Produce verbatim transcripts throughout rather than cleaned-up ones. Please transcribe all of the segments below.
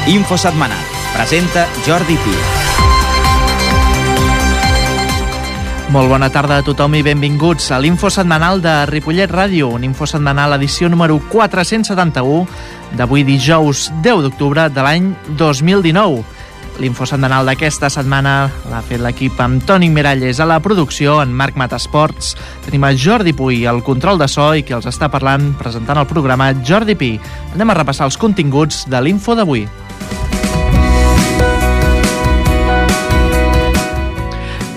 Info setmanal. Presenta Jordi Pi. Molt bona tarda a tothom i benvinguts a l'Info setmanal de Ripollet Ràdio, un Info setmanal edició número quatre-cents setanta-u d'avui dijous deu d'octubre de l'any dos mil dinou. L'Info setmanal d'aquesta setmana l'ha fet l'equip amb Toni Miralles a la producció, en Marc Matasports. Tenim a Jordi Puy al control de so i qui els està parlant presentant el programa, Jordi Pi. Anem a repassar els continguts de l'Info d'avui.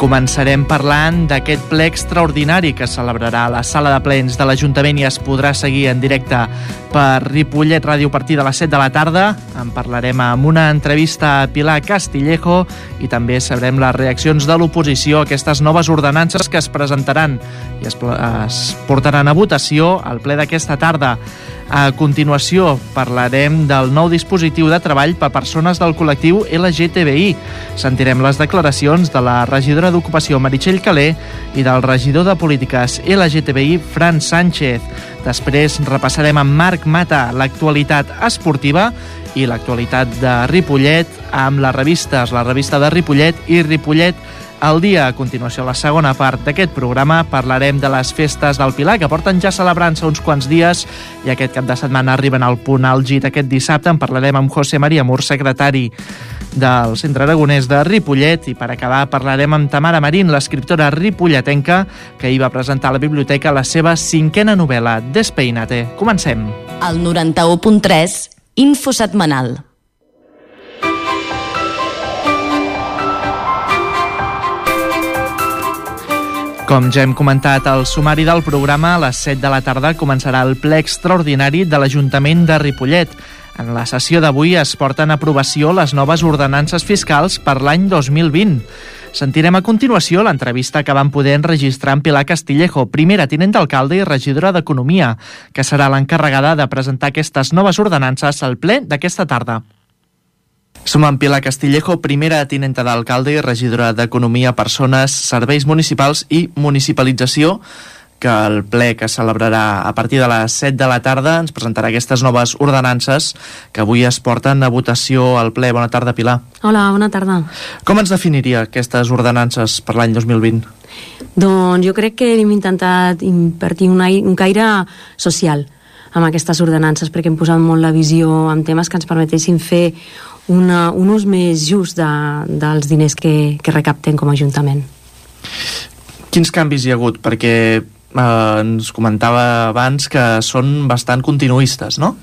Començarem parlant d'aquest ple extraordinari que celebrarà a la sala de plens de l'Ajuntament i es podrà seguir en directe per Ripollet Ràdio a partir de les set de la tarda. En parlarem amb una entrevista a Pilar Castillejo i també sabrem les reaccions de l'oposició a aquestes noves ordenances que es presentaran i es, es portaran a votació al ple d'aquesta tarda. A continuació parlarem del nou dispositiu de treball per persones del col·lectiu L G T B I. Sentirem les declaracions de la regidora d'Ocupació Meritxell Calé i del regidor de Polítiques L G T B I Fran Sánchez. Després repassarem amb Marc Mata l'actualitat esportiva i l'actualitat de Ripollet amb les revistes, la revista de Ripollet i Ripollet al dia. A continuació, a la segona part d'aquest programa, parlarem de les festes del Pilar, que porten ja celebrant-se uns quants dies i aquest cap de setmana arriben al punt àlgid. Aquest dissabte en parlarem amb José María Mur, secretari del Centre Aragonès de Ripollet, i per acabar parlarem amb Tamara Marín, l'escriptora ripolletenca, que hi va presentar a la biblioteca la seva cinquena novel·la, Despeinate. Comencem. El noranta-u punt tres, Info setmanal. Com ja hem comentat al sumari del programa, a les set de la tarda començarà el ple extraordinari de l'Ajuntament de Ripollet. En la sessió d'avui es porten a aprovació les noves ordenances fiscals per l'any dos mil vint. Sentirem a continuació l'entrevista que van poder enregistrar amb Pilar Castillejo, primera tinent d'alcalde i regidora d'Economia, que serà l'encarregada de presentar aquestes noves ordenances al ple d'aquesta tarda. Som amb Pilar Castillejo, primera tinenta d'alcalde i regidora d'Economia, Persones, Serveis Municipals i Municipalització, que el ple que celebrarà a partir de les set de la tarda ens presentarà aquestes noves ordenances que avui es porten a votació al ple. Bona tarda, Pilar. Hola, bona tarda. Com ens definiria aquestes ordenances per l'any dos mil vint? Doncs jo crec que hem intentat impartir un, un caire social amb aquestes ordenances, perquè hem posat molt la visió en temes que ens permetessin fer una, un ús més just de, dels diners que, que recaptem com a Ajuntament. Quins canvis hi ha hagut? Perquè eh, ens comentava abans que són bastant continuistes, no?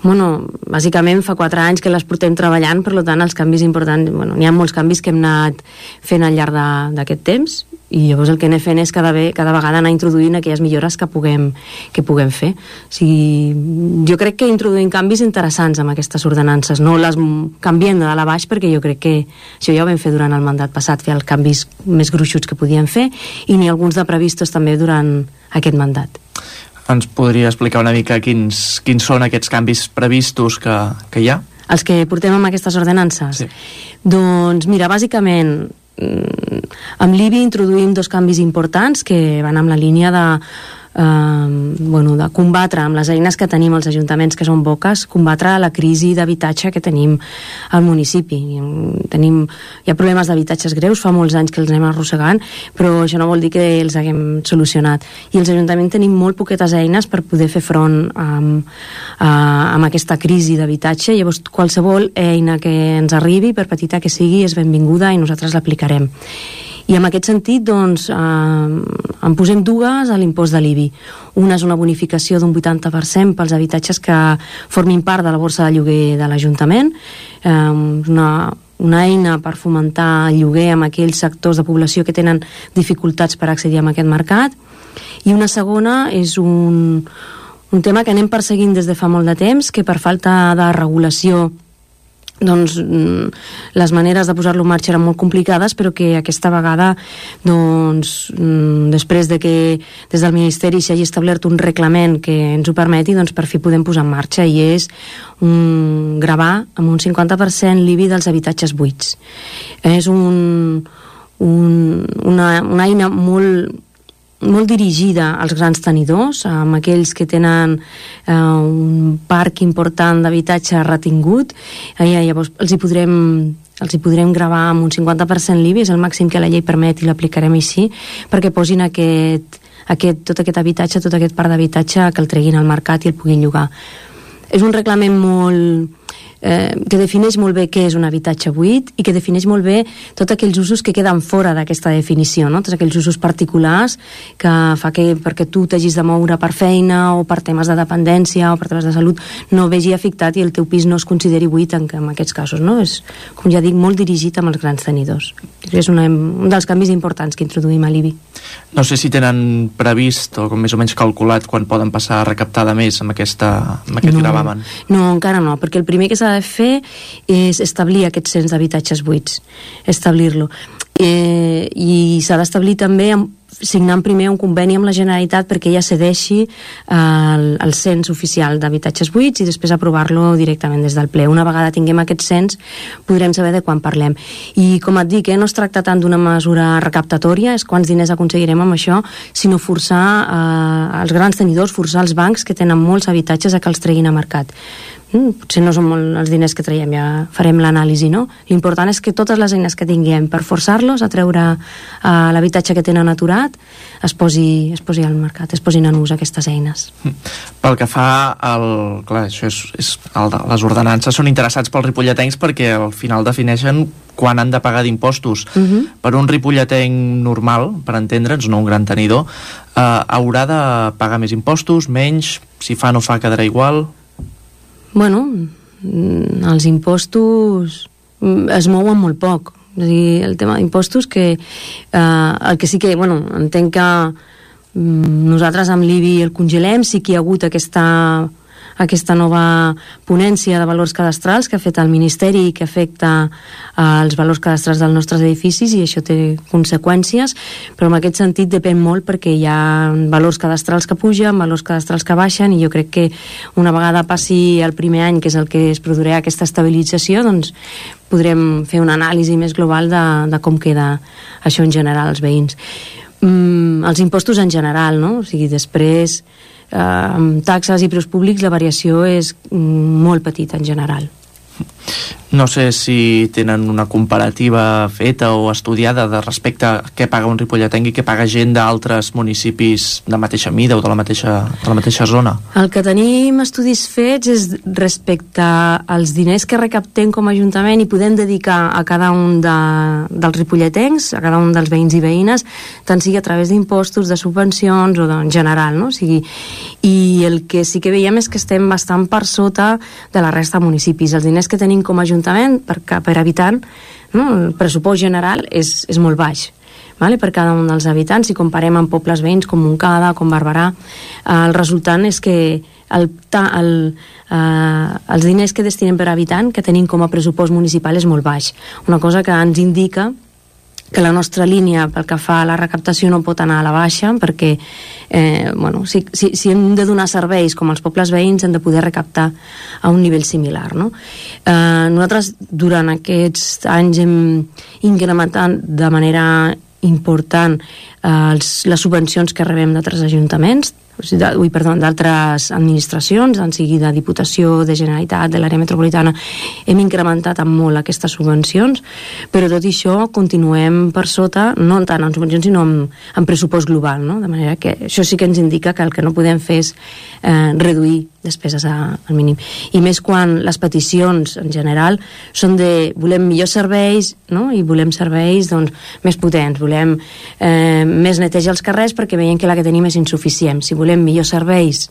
Bueno, bàsicament fa quatre anys que les portem treballant, per tant els canvis importants, bueno, n'hi ha molts canvis que hem anat fent al llarg d'aquest temps i llavors el que anem fent és cada, ve, cada vegada anar introduint aquelles millores que puguem, que puguem fer. O sigui, jo crec que introduïm canvis interessants amb aquestes ordenances, no les canviem de dalt a baix, perquè jo crec que això ja ho vam fer durant el mandat passat, fer els canvis més gruixuts que podíem fer i n'hi ha alguns de previstos també durant aquest mandat. Ens podria explicar una mica quins, quins són aquests canvis previstos que, que hi ha? Els que portem amb aquestes ordenances? Sí. Doncs mira, bàsicament amb l'I B I introduïm dos canvis importants que van amb la línia de, eh, bueno, de combatre amb les eines que tenim als ajuntaments, que són poques, combatre la crisi d'habitatge que tenim al municipi. Tenim, hi ha problemes d'habitatges greus, fa molts anys que els anem arrossegant, però això no vol dir que els haguem solucionat. I els ajuntaments tenim molt poquetes eines per poder fer front amb, a, amb aquesta crisi d'habitatge. Llavors qualsevol eina que ens arribi, per petita que sigui, és benvinguda i nosaltres l'aplicarem. I en aquest sentit, doncs, eh, en posem dues a l'impost de l'I B I. Una és una bonificació d'un vuitanta per cent pels habitatges que formin part de la borsa de lloguer de l'Ajuntament, eh, una, una eina per fomentar el lloguer amb aquells sectors de població que tenen dificultats per accedir a aquest mercat. I una segona és un, un tema que anem perseguint des de fa molt de temps, que per falta de regulació doncs les maneres de posar-lo en marxa eren molt complicades, però que aquesta vegada doncs després de que des del Ministeri s'hagi establert un reglament que ens ho permeti, doncs per fi podem posar en marxa, i és un, gravar amb un cinquanta per cent l'I B I dels habitatges buits. És un, un, una, una eina molt molt dirigida als grans tenidors, amb aquells que tenen eh, un parc important d'habitatge retingut. Eh, llavors els hi podrem els hi podrem gravar amb un cinquanta per cent l'I B I, és el màxim que la llei permet i l'aplicarem així, perquè posin aquest, aquest, tot aquest habitatge, tot aquest parc d'habitatge, que el treguin al mercat i el puguin llogar. És un reglament molt... Eh, que defineix molt bé què és un habitatge buit i que defineix molt bé tots aquells usos que queden fora d'aquesta definició, no? Tots aquells usos particulars que fa que perquè tu t'hagis de moure per feina o per temes de dependència o per temes de salut no vegi afectat i el teu pis no es consideri buit en, en aquests casos, no? És, com ja dic, molt dirigit amb els grans tenidors. És una, un dels canvis importants que introduïm a l'I B I. No sé si tenen previst o com més o menys calculat quan poden passar a recaptar de més amb, aquesta, amb aquest no, gravamen. No, encara no, perquè el primer que s'ha de fer és establir aquest cens d'habitatges buits, establir-lo. Eh, I s'ha d'establir també amb, signant primer un conveni amb la Generalitat perquè ella cedeixi eh, el, el cens oficial d'habitatges buits i després aprovar-lo directament des del ple. Una vegada tinguem aquest cens podrem saber de quan parlem. I com et dic, eh, no es tracta tant d'una mesura recaptatòria, és quants diners aconseguirem amb això, sinó forçar eh, els grans tenidors, forçar els bancs que tenen molts habitatges a que els treguin a mercat. Mm, potser no són molt els diners que traiem, ja farem l'anàlisi, no? L'important és que totes les eines que tinguem per forçar-los a treure uh, l'habitatge que tenen aturat es posi, es posi al mercat, es posin en ús aquestes eines. Pel que fa al... Clar, això és, és el, les ordenances són interessats pels ripolletens perquè al final defineixen quan han de pagar d'impostos. Uh-huh. Per un ripolletenc normal, per entendre'ns, no un gran tenidor, eh, haurà de pagar més impostos, menys, si fa no fa quedarà igual... Bueno, els impostos es mouen molt poc. És a dir, el tema d'impostos que eh, el que sí que, bueno, entenc que nosaltres amb l'I B I el congelem, sí que hi ha hagut aquesta aquesta nova ponència de valors cadastrals que ha fet el Ministeri i que afecta eh, els valors cadastrals dels nostres edificis i això té conseqüències, però en aquest sentit depèn molt perquè hi ha valors cadastrals que pugen, valors cadastrals que baixen i jo crec que una vegada passi el primer any, que és el que es produirà aquesta estabilització, doncs podrem fer una anàlisi més global de, de com queda això en general als veïns. Mm, els impostos en general, no? O sigui, després eh, amb taxes i preus públics la variació és mm, molt petita en general. No sé si tenen una comparativa feta o estudiada de respecte a què paga un ripolletenc i què paga gent d'altres municipis de mateixa mida o de la mateixa, de la mateixa zona. El que tenim estudis fets és respecte als diners que recaptem com a Ajuntament i podem dedicar a cada un de, dels ripolletencs, a cada un dels veïns i veïnes, tant sigui a través d'impostos, de subvencions o de, en general, no? O sigui, i el que sí que veiem és que estem bastant per sota de la resta de municipis. Els diners que tenim com a Ajuntament per, per habitant, no? El pressupost general és, és molt baix, vale? Per cada un dels habitants. Si comparem amb pobles veïns com Montcada, com Barberà, eh, el resultant és que el, el, eh, els diners que destinem per habitant que tenim com a pressupost municipal és molt baix, una cosa que ens indica que la nostra línia pel que fa a la recaptació no pot anar a la baixa perquè eh, bueno, si, si, si hem de donar serveis com els pobles veïns hem de poder recaptar a un nivell similar, no? Eh, nosaltres durant aquests anys hem incrementat de manera important eh, els, les subvencions que rebem d'altres ajuntaments, ui, perdó, d'altres administracions, en sigui de Diputació, de Generalitat, de l'àrea metropolitana, hem incrementat amb molt aquestes subvencions, però tot i això continuem per sota, no tant en subvencions sinó en, en pressupost global, no? De manera que això sí que ens indica que el que no podem fer és eh, reduir despeses a, al mínim. I més quan les peticions en general són de volem millors serveis, no? I volem serveis doncs, més potents, volem eh, més netejar els carrers perquè veiem que la que tenim és insuficient. Si volem millors serveis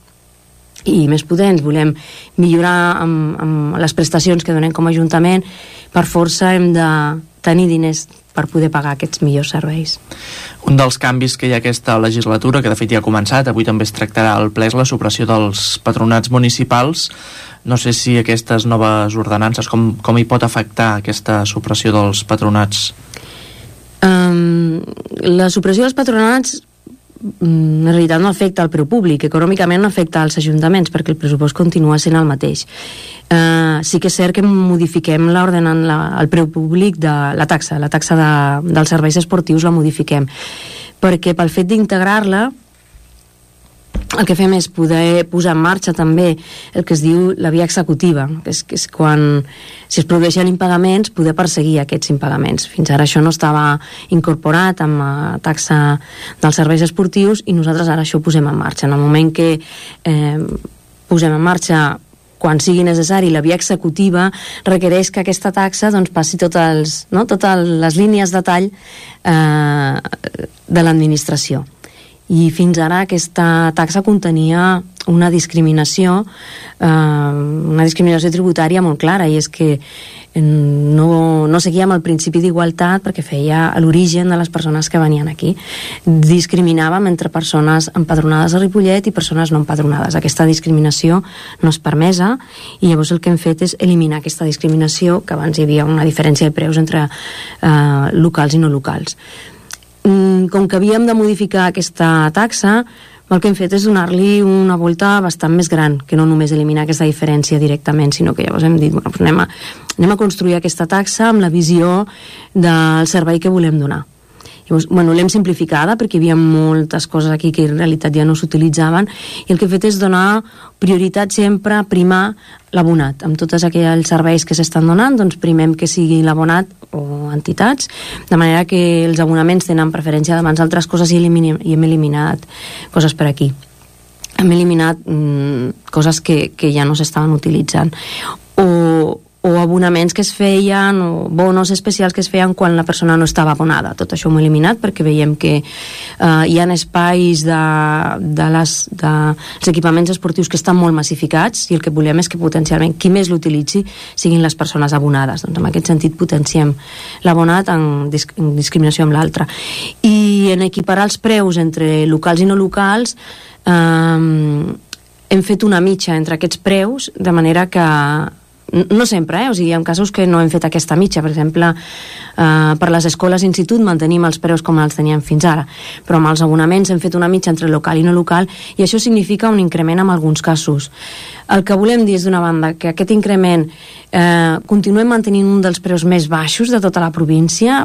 i més potents, volem millorar amb, amb les prestacions que donem com a Ajuntament, per força hem de tenir diners per poder pagar aquests millors serveis. Un dels canvis que hi ha aquesta legislatura, que de fet ja ha començat, avui també es tractarà al ple, és la supressió dels patronats municipals. No sé si aquestes noves ordenances, com, com hi pot afectar aquesta supressió dels patronats? Um, la supressió dels patronats en realitat no afecta al preu públic, econòmicament no afecta als ajuntaments perquè el pressupost continua sent el mateix. Uh, sí que és cert que modifiquem el preu públic de la taxa, la taxa de, dels serveis esportius la modifiquem, perquè pel fet d'integrar-la el que fem és poder posar en marxa també el que es diu la via executiva, que és, que és quan, si es produeixen impagaments, poder perseguir aquests impagaments. Fins ara això no estava incorporat amb la taxa dels serveis esportius i nosaltres ara això ho posem en marxa. En el moment que eh, posem en marxa, quan sigui necessari, la via executiva requereix que aquesta taxa doncs, passi totes, els, no? totes les línies de tall eh, de l'administració. I fins ara aquesta taxa contenia una discriminació eh, una discriminació tributària molt clara, i és que no, no seguíem el principi d'igualtat perquè feia a l'origen de les persones que venien aquí. Discriminàvem entre persones empadronades a Ripollet i persones no empadronades. Aquesta discriminació no és permesa, i llavors el que hem fet és eliminar aquesta discriminació, que abans hi havia una diferència de preus entre eh, locals i no locals. Com que havíem de modificar aquesta taxa, el que hem fet és donar-li una volta bastant més gran, que no només eliminar aquesta diferència directament, sinó que llavors hem dit, bueno, doncs anem, a, anem a construir aquesta taxa amb la visió del servei que volem donar. Llavors, bueno, l'hem simplificada perquè hi havia moltes coses aquí que en realitat ja no s'utilitzaven, i el que he fet és donar prioritat sempre a primar l'abonat. Amb tots aquells serveis que s'estan donant, doncs primem que sigui l'abonat o entitats, de manera que els abonaments tenen preferència davant d'altres coses, i, eliminem, i hem eliminat coses per aquí. Hem eliminat mm, coses que, que ja no s'estaven utilitzant. O o abonaments que es feien, o bonos especials que es feien quan la persona no estava abonada. Tot això ho hem eliminat perquè veiem que eh, hi ha espais de, de les, de, els equipaments esportius que estan molt massificats, i el que volem és que potencialment qui més l'utilitzi siguin les persones abonades. Doncs en aquest sentit potenciem l'abonat en, disc, en discriminació amb l'altre. I en equiparar els preus entre locals i no locals, eh, hem fet una mitja entre aquests preus, de manera que no sempre, eh? O sigui, hi ha casos que no hem fet aquesta mitja. Per exemple, eh, per les escoles institut mantenim els preus com els teníem fins ara, però amb els abonaments hem fet una mitja entre local i no local, i això significa un increment en alguns casos. El que volem dir és, d'una banda, que aquest increment eh, continuem mantenint un dels preus més baixos de tota la província.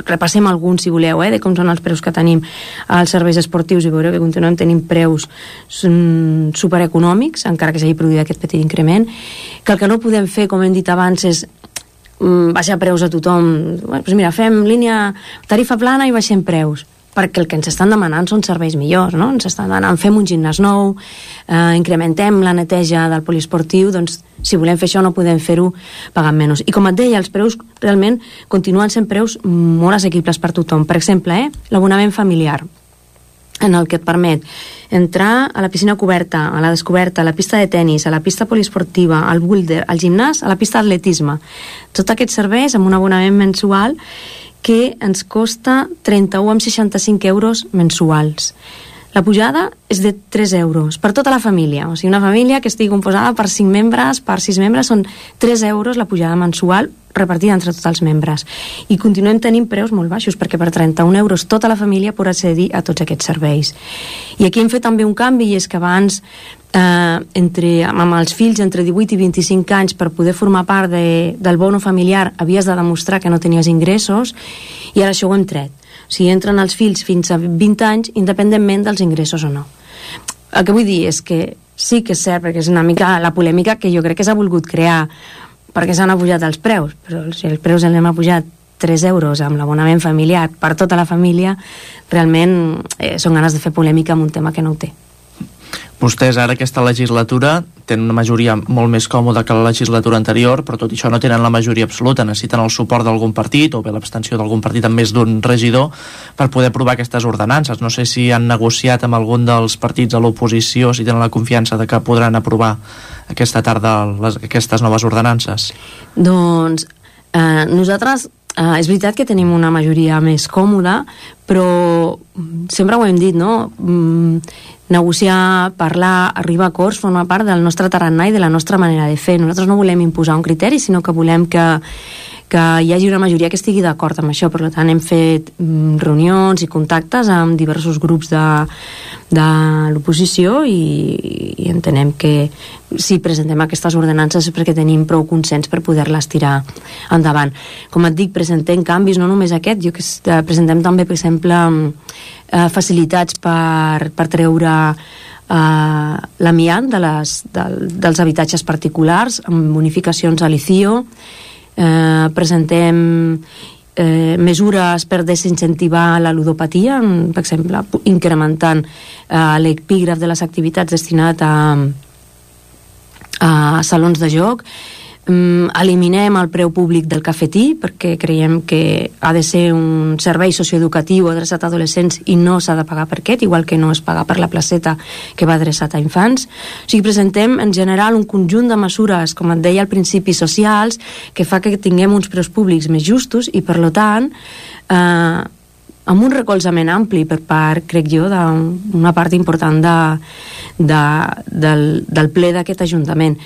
Repassem alguns, si voleu, eh, de com són els preus que tenim als serveis esportius, i veureu que continuem tenint preus supereconòmics, encara que s'hagi produït aquest petit increment. Que el que no podem fer, com hem dit abans, és baixar preus a tothom. Bueno, doncs mira, fem línia tarifa plana i baixem preus, perquè el que ens estan demanant són serveis millors, no? Ens estan demanant, fem un gimnàs nou, eh, incrementem la neteja del poliesportiu. Doncs si volem fer això no podem fer-ho pagant menys. I com et deia, els preus realment continuen sent preus molt assequibles per tothom. Per exemple, eh, l'abonament familiar, en el que et permet entrar a la piscina coberta, a la descoberta, a la pista de tennis, a la pista poliesportiva, al boulder, al gimnàs, a la pista d'atletisme. Tots aquests serveis amb un abonament mensual que ens costa trenta-u coma seixanta-cinc euros mensuals. La pujada és de tres euros per tota la família. O sigui, una família que estigui composada per cinc membres, per sis membres, són tres euros la pujada mensual repartida entre tots els membres. I continuem tenint preus molt baixos, perquè per trenta-un euros tota la família pot accedir a tots aquests serveis. I aquí hem fet també un canvi, i és que abans eh, entre, amb els fills entre divuit i vint-i-cinc anys, per poder formar part de, del bono familiar havies de demostrar que no tenies ingressos, i ara això ho hem tret. O sigui, entren els fills fins a vint anys independentment dels ingressos o no. El que vull dir és que sí que és cert, perquè és una mica la polèmica que jo crec que s'ha volgut crear perquè s'han apujat els preus, però si els preus els hem apujat tres euros amb l'abonament familiar per tota la família, realment eh, són ganes de fer polèmica amb un tema que no ho té. Vostès ara aquesta legislatura tenen una majoria molt més còmoda que la legislatura anterior, però tot i això no tenen la majoria absoluta, necessiten el suport d'algun partit o bé l'abstenció d'algun partit amb més d'un regidor per poder aprovar aquestes ordenances. No sé si han negociat amb algun dels partits a l'oposició, si tenen la confiança de que podran aprovar aquesta tarda les, aquestes noves ordenances. Doncs eh, nosaltres Uh, és veritat que tenim una majoria més còmoda, però sempre ho hem dit, no? Mm, negociar, parlar, arribar a acords forma part del nostre tarannà i de la nostra manera de fer. Nosaltres no volem imposar un criteri, sinó que volem que, que hi hagi una majoria que estigui d'acord amb això. Per tant, hem fet mm, reunions i contactes amb diversos grups de, de l'oposició i, i entenem que si presentem aquestes ordenances és perquè tenim prou consens per poder-les tirar endavant. Com et dic, presentem canvis, no només aquest, jo que presentem també, per exemple, eh, facilitats per, per treure Uh, l'amiant de les, del, dels habitatges particulars amb bonificacions a l'I C I O. Uh, presentem uh, mesures per desincentivar la ludopatia, per exemple, incrementant uh, l'epígraf de les activitats destinat a, a salons de joc. Um, eliminem el preu públic del cafetí perquè creiem que ha de ser un servei socioeducatiu adreçat a adolescents i no s'ha de pagar per aquest, igual que no es paga per la placeta que va adreçat a infants. O sigui, presentem en general un conjunt de mesures, com et deia al principi, socials, que fa que tinguem uns preus públics més justos i, per tant, eh, amb un recolzament ampli per part, crec jo, d'una part important de, de, del, del ple d'aquest Ajuntament,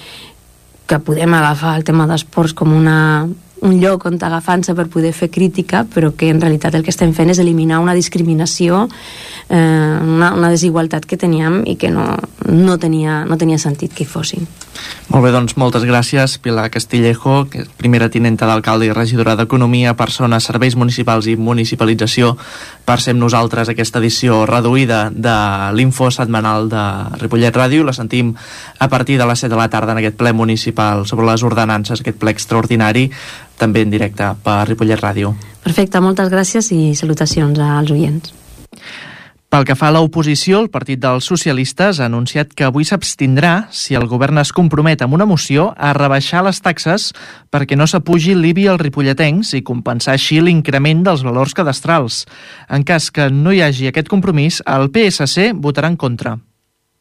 que podem agafar el tema d'esports com una, un lloc on agafant-se per poder fer crítica, però que en realitat el que estem fent és eliminar una discriminació, eh, una, una desigualtat que teníem i que no, no, tenia, no tenia sentit que hi fossin. Molt bé, doncs moltes gràcies, Pilar Castillejo, que és primera tinenta d'alcalde i regidora d'Economia, Persones, Serveis Municipals i Municipalització, per ser amb nosaltres aquesta edició reduïda de l'Info setmanal de Ripollet Ràdio. La sentim a partir de les set de la tarda en aquest ple municipal sobre les ordenances, aquest ple extraordinari, també en directe per Ripollet Ràdio. Perfecte, moltes gràcies i salutacions als oients. Pel que fa a l'oposició, el Partit dels Socialistes ha anunciat que avui s'abstindrà si el govern es compromet amb una moció a rebaixar les taxes perquè no s'apugi l'I B I als ripolletens i compensar així l'increment dels valors cadastrals. En cas que no hi hagi aquest compromís, el P S C votarà en contra.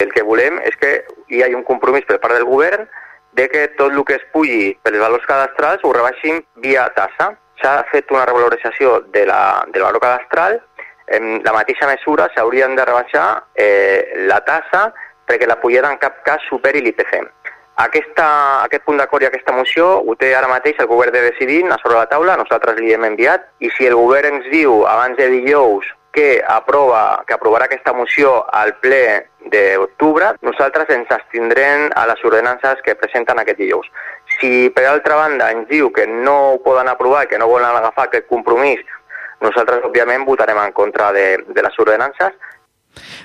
El que volem és que hi hagi un compromís per part del govern de que tot el que es pugui pels valors cadastrals ho rebaixin via tassa. S'ha fet una revalorització de la, del valor cadastral. En la mateixa mesura s'haurien de rebaixar eh, la tassa perquè la pujada en cap cas superi l'I P C. Aquesta, aquest punt d'acord i aquesta moció ho té ara mateix el govern de decidir a sobre la taula, nosaltres li hem enviat, i si el govern ens diu abans de dijous que aprova, que aprovarà aquesta moció al ple d'octubre, nosaltres ens abstindrem a les ordenances que presenten aquest dijous. Si per altra banda ens diu que no ho poden aprovar, que no volen agafar aquest compromís, nosaltres, òbviament, votarem en contra de, de les ordenances.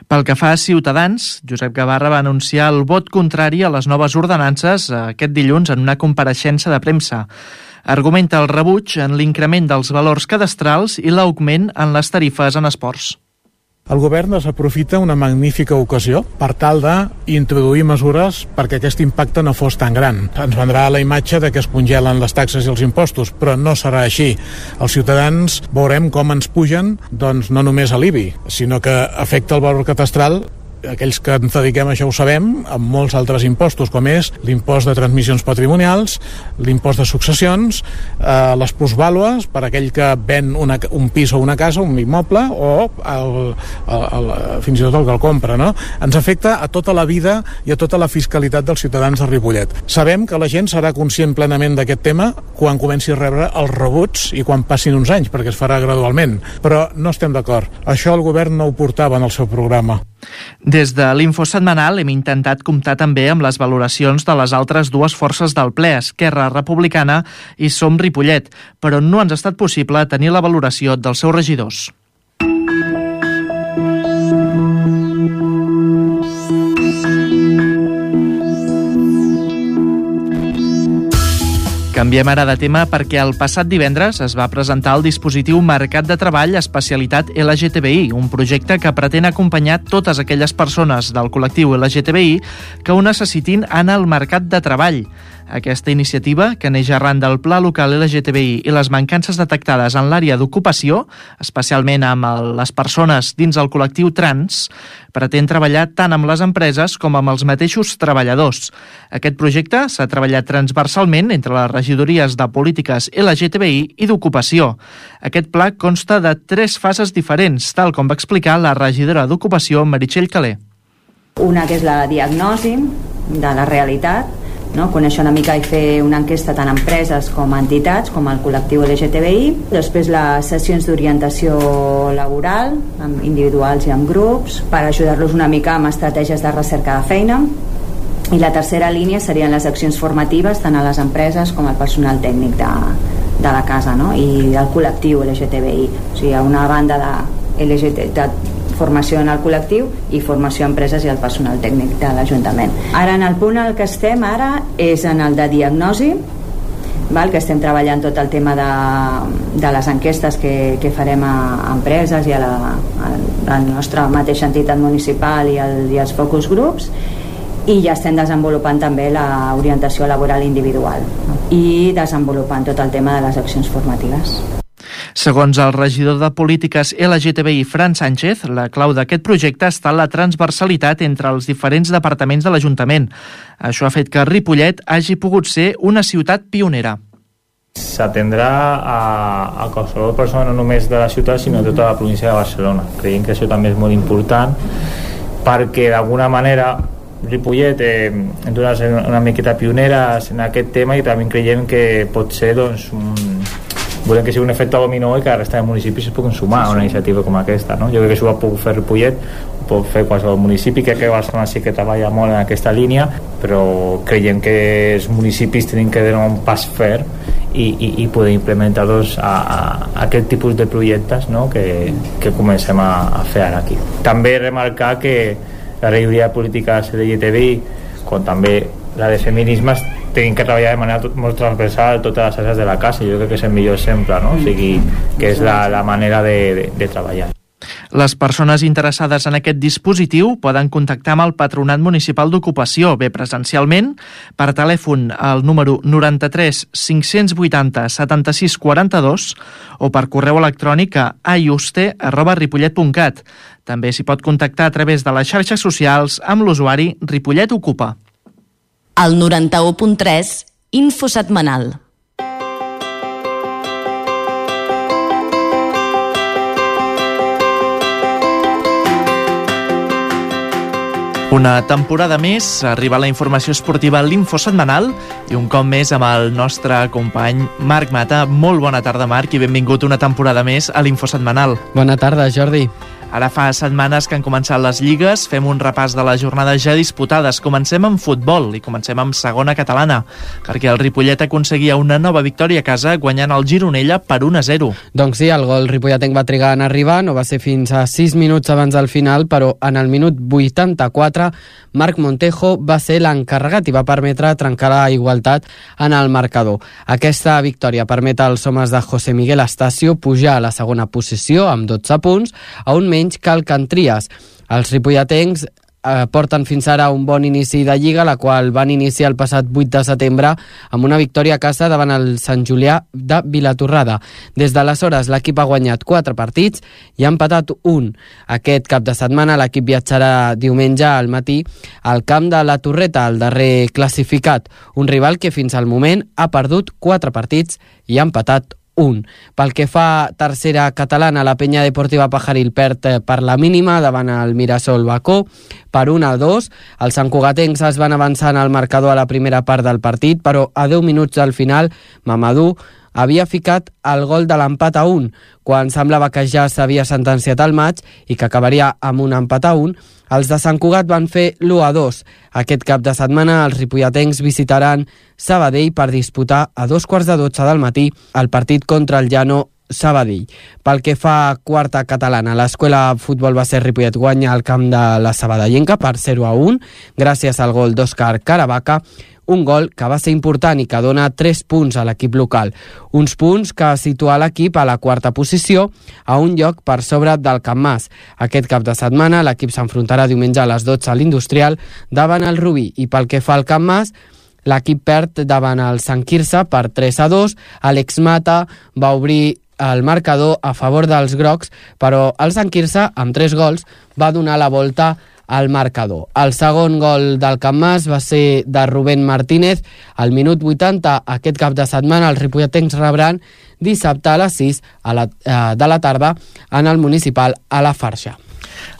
Pel que fa a Ciutadans, Josep Gavarra va anunciar el vot contrari a les noves ordenances aquest dilluns en una compareixença de premsa. Argumenta el rebuig en l'increment dels valors cadastrals i l'augment en les tarifes en esports. El govern desaprofita una magnífica ocasió per tal d'introduir mesures perquè aquest impacte no fos tan gran. Ens vendrà la imatge de que es congelen les taxes i els impostos, però no serà així. Els ciutadans veurem com ens pugen, doncs no només a l'I B I, sinó que afecta el valor catastral. Aquells que ens dediquem a això ho sabem, amb molts altres impostos, com és l'impost de transmissions patrimonials, l'impost de successions, eh, les plusvàlues per aquell que ven una, un pis o una casa, un immoble, o el, el, el, fins i tot el que el compra, no? Ens afecta a tota la vida i a tota la fiscalitat dels ciutadans de Ripollet. Sabem que la gent serà conscient plenament d'aquest tema quan comenci a rebre els rebuts i quan passin uns anys, perquè es farà gradualment, però no estem d'acord. Això el govern no ho portava en el seu programa. Des de l'Info setmanal hem intentat comptar també amb les valoracions de les altres dues forces del ple, Esquerra Republicana i Som Ripollet, però no ens ha estat possible tenir la valoració dels seus regidors. Canviem ara de tema perquè el passat divendres es va presentar el dispositiu Mercat de Treball Especialitat L G T B I, un projecte que pretén acompanyar totes aquelles persones del col·lectiu L G T B I que ho necessitin en el mercat de treball. Aquesta iniciativa, que neix arran del Pla Local L G T B I i les mancances detectades en l'àrea d'ocupació, especialment amb el, les persones dins el col·lectiu trans, pretén treballar tant amb les empreses com amb els mateixos treballadors. Aquest projecte s'ha treballat transversalment entre les regidories de polítiques L G T B I i d'ocupació. Aquest pla consta de tres fases diferents, tal com va explicar la regidora d'Ocupació, Meritxell Calé. Una que és la diagnosi de la realitat, no? Conèixer una mica i fer una enquesta tant a empreses com a entitats, com al col·lectiu L G T B I. Després les sessions d'orientació laboral, amb individuals i amb grups, per ajudar-los una mica amb estratègies de recerca de feina. I la tercera línia serien les accions formatives tant a les empreses com al personal tècnic de, de la casa, no? I del col·lectiu L G T B I. O sigui, a una banda de L G T B I, de formació en el col·lectiu i formació a empreses i al personal tècnic de l'Ajuntament. Ara, en el punt en el que estem ara és en el de diagnosi, val? Que estem treballant tot el tema de, de les enquestes que, que farem a, a empreses i a la, a la nostra mateixa entitat municipal i, el, i els focus groups, i ja estem desenvolupant també l'orientació laboral individual, no? I desenvolupant tot el tema de les accions formatives. Segons el regidor de Polítiques L G T B I, Fran Sánchez, la clau d'aquest projecte està en la transversalitat entre els diferents departaments de l'Ajuntament. Això ha fet que Ripollet hagi pogut ser una ciutat pionera. S'atendrà a, a qualsevol persona no només de la ciutat sinó de tota la província de Barcelona. Creiem que això també és molt important perquè d'alguna manera Ripollet eh, hem de ser una miqueta pioneres en aquest tema i també creiem que pot ser doncs, un volem que sigui un efecte dominó i que la resta de municipis es puguin sumar a una iniciativa com aquesta, no? Jo crec que això ho ha pogut fer Ripollet, ho pot fer qualsevol municipi, crec que Barcelona sí que treballa molt en aquesta línia, però creiem que els municipis tenen que donar un pas fer i, i, i poder implementar doncs, a, a, a aquest tipus de projectes, no? que, que comencem a, a fer ara aquí. També remarcar que la regidoria de polítiques L G T B I, com també la de feminismes, tenim que treballar de manera molt transversal totes les àrees de la casa. Jo crec que és el millor exemple, no? O sigui, que és la, la manera de, de, de treballar. Les persones interessades en aquest dispositiu poden contactar amb el Patronat Municipal d'Ocupació, bé presencialment, per telèfon al número noranta-tres cinc-cents vuitanta setanta-sis quaranta-dos o per correu electrònic a ayuste arroba ripollet punt cat. També s'hi pot contactar a través de les xarxes socials amb l'usuari Ripollet Ocupa. El noranta-u punt tres, Info Setmanal. Una temporada més, arriba la informació esportiva a l'Info Setmanal i un cop més amb el nostre company Marc Mata. Molt bona tarda, Marc, i benvingut una temporada més a l'Info Setmanal. Bona tarda, Jordi. Ara fa setmanes que han començat les lligues, fem un repàs de les jornades ja disputades. Comencem amb futbol i comencem amb segona catalana, perquè el Ripollet aconseguia una nova victòria a casa guanyant el Gironella per un a zero. Doncs sí, el gol ripolletenc va trigar en arribar, no va ser fins a sis minuts abans del final, però en el minut vuitanta-quatre Marc Montejo va ser l'encarregat i va permetre trencar la igualtat en el marcador. Aquesta victòria permet als homes de José Miguel Astacio pujar a la segona posició amb dotze punts, a un menys que el Cantries. Els ripolletens eh, porten fins ara un bon inici de Lliga, la qual van iniciar el passat vuit de setembre amb una victòria a casa davant el Sant Julià de Vilatorrada. Des d'aleshores l'equip ha guanyat quatre partits i ha empatat un. Aquest cap de setmana l'equip viatjarà diumenge al matí al camp de la Torreta, el darrer classificat, un rival que fins al moment ha perdut quatre partits i ha empatat un. Pel que fa tercera catalana, la Penya Deportiva Pajaril perd per la mínima davant el Mirasol Bacó per un a dos. Els santcugatencs es van avançar en el marcador a la primera part del partit, però a deu minuts del final Mamadou havia ficat el gol de l'empat a un, quan semblava que ja s'havia sentenciat el maig i que acabaria amb un empat a un. Els de Sant Cugat van fer l'u a dos. Aquest cap de setmana els ripolletencs visitaran Sabadell per disputar a dos quarts de dotze del matí el partit contra el Llano Sabadell. Pel que fa a quarta catalana, l'Escola Futbol Base Ripollet guanya al camp de la Sabadellenca per zero a un, gràcies al gol d'Òscar Caravaca, un gol que va ser important i que dona tres punts a l'equip local. Uns punts que situa l'equip a la quarta posició, a un lloc per sobre del Can Mas. Aquest cap de setmana l'equip s'enfrontarà diumenge a les dotze a l'Industrial davant el Rubí, i pel que fa al Can Mas, l'equip perd davant el Sant Quirze per tres a dos. Àlex Mata va obrir el marcador a favor dels grocs, però el Sant Quirze, amb tres gols, va donar la volta al marcador. El segon gol del Can Mas va ser de Rubén Martínez al minut vuitanta. Aquest cap de setmana els ripolletens rebran dissabte a les sis a la, eh, de la tarda en el municipal a la Farxa.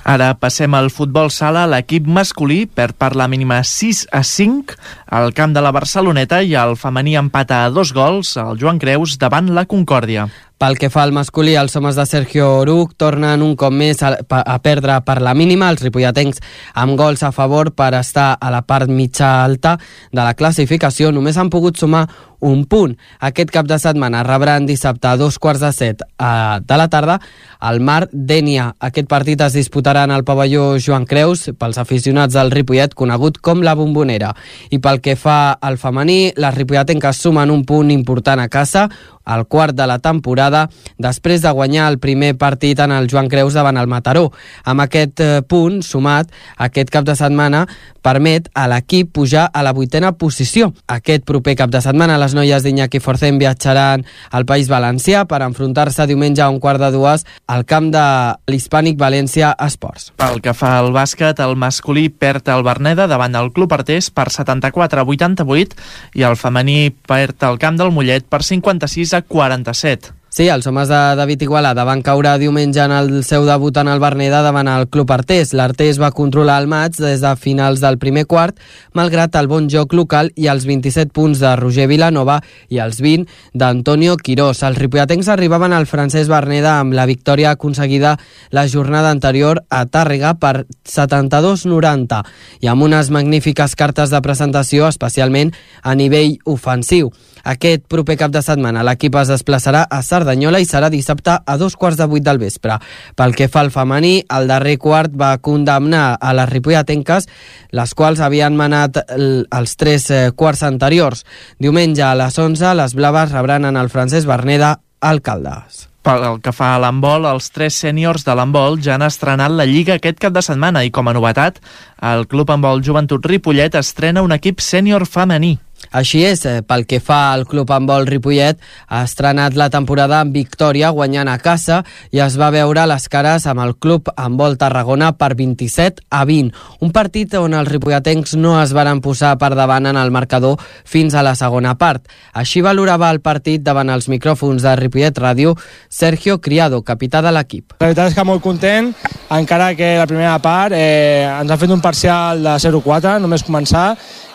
Ara passem al futbol sala. L'equip masculí perd per la mínima sis a cinc al camp de la Barceloneta i el femení empata a dos gols al Joan Creus davant la Concòrdia. Pel que fa al masculí, els homes de Sergio Oruc tornen un cop més a, a perdre per la mínima, els ripolletens amb gols a favor per estar a la part mitja alta de la classificació. Només han pogut sumar un punt. Aquest cap de setmana rebran dissabte a dos quarts de set de la tarda al Mar Dénia. Aquest partit es disputarà en el pavelló Joan Creus pels aficionats del Ripollet, conegut com la Bombonera. I pel que fa al femení, les ripolletenques sumen un punt important a casa, al quart de la temporada, després de guanyar el primer partit en el Joan Creus davant el Mataró. Amb aquest eh, punt sumat, aquest cap de setmana permet a l'equip pujar a la vuitena posició. Aquest proper cap de setmana les noies d'Iñaki Forcén viatjaran al País Valencià per enfrontar-se diumenge a un quart de dues al camp de l'Hispànic València Esports. Pel que fa al bàsquet, el masculí perd el Verneda davant el Club Artés per setanta-quatre a vuitanta-vuit i el femení perd el camp del Mollet per cinquanta-sis a quaranta-set. Sí, els homes de David Igualada van caure diumenge en el seu debut en el Verneda davant el Club Artés. L'Artés va controlar el maig des de finals del primer quart, malgrat el bon joc local i els vint-i-set punts de Roger Vilanova i els vint d'Antonio Quirós. Els ripolletens arribaven al Francesc Verneda amb la victòria aconseguida la jornada anterior a Tàrrega per setanta-dos a noranta i amb unes magnífiques cartes de presentació, especialment a nivell ofensiu. Aquest proper cap de setmana l'equip es desplaçarà a Cerdanyola i serà dissabte a dos quarts de vuit del vespre. Pel que fa al femení, el darrer quart va condemnar a les ripolletenques, les quals havien manat els tres quarts anteriors. Diumenge a les onze, les blaves rebran en el Francesc Verneda al Caldes. Pel que fa a l'handbol, els tres sèniors de l'handbol ja han estrenat la Lliga aquest cap de setmana i, com a novetat, el Club Handbol Joventut Ripollet estrena un equip sènior femení. Així és, pel que fa al Club Handbol Ripollet, ha estrenat la temporada amb victòria guanyant a casa i es va veure les cares amb el Club Handbol Tarragona per vint-i-set a vint. Un partit on els ripolletens no es varen posar per davant en el marcador fins a la segona part. Així valorava el partit davant els micròfons de Ripollet Ràdio Sergio Criado, capità de l'equip. La veritat és que molt content, encara que la primera part eh, ens han fet un parcial de zero a quatre, només començar,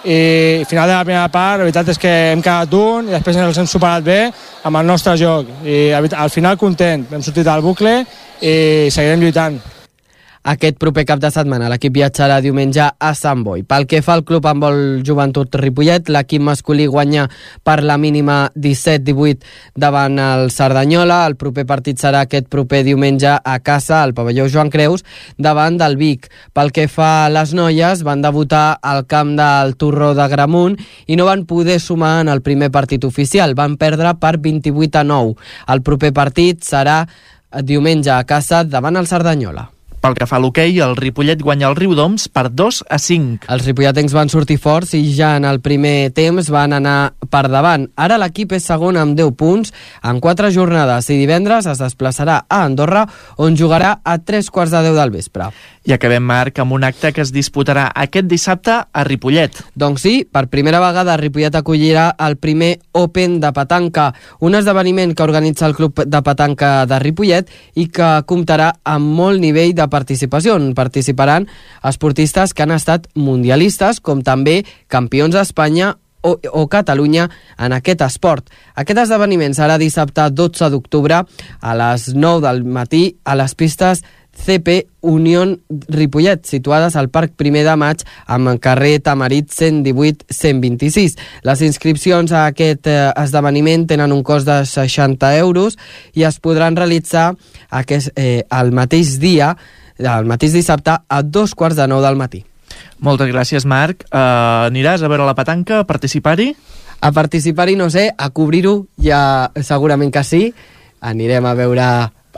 i al final de la primera part la veritat és que hem quedat un i després ens hem superat bé amb el nostre joc i al final content, hem sortit al bucle i seguirem lluitant. Aquest proper cap de setmana l'equip viatjarà diumenge a Sant Boi. Pel que fa al Club Handbol Joventut Ripollet, l'equip masculí guanya per la mínima disset a divuit davant el Cerdanyola. El proper partit serà aquest proper diumenge a casa, al pavelló Joan Creus, davant del Vic. Pel que fa a les noies, van debutar al camp del Torró de Gramunt i no van poder sumar en el primer partit oficial. Van perdre per vint-i-vuit a nou. El proper partit serà diumenge a casa davant el Cerdanyola. Pel que fa a l'hoquei, el Ripollet guanya el Riudoms per dos a cinc. Els ripolletens van sortir forts i ja en el primer temps van anar per davant. Ara l'equip és segon amb deu punts en quatre jornades i divendres es desplaçarà a Andorra, on jugarà a tres quarts de deu del vespre. I acabem, Marc, amb un acte que es disputarà aquest dissabte a Ripollet. Doncs sí, per primera vegada Ripollet acollirà el primer Open de petanca, un esdeveniment que organitza el Club de Petanca de Ripollet i que comptarà amb molt nivell de participació. Participaran esportistes que han estat mundialistes, com també campions d'Espanya o, o Catalunya en aquest esport. Aquest esdeveniment serà dissabte dotze d'octubre a les nou del matí a les pistes C P Unión Ripollet, situades al Parc Primer de Maig amb carrer Tamarit cent divuit cent vint-i-sis. Les inscripcions a aquest eh, esdeveniment tenen un cost de seixanta euros i es podran realitzar aquest, eh, el mateix dia, el mateix dissabte, a dos quarts de nou del matí. Moltes gràcies, Marc. Uh, aniràs a veure la petanca, a participar-hi? A participar-hi no sé, a cobrir-ho ja segurament que sí. Anirem a veure...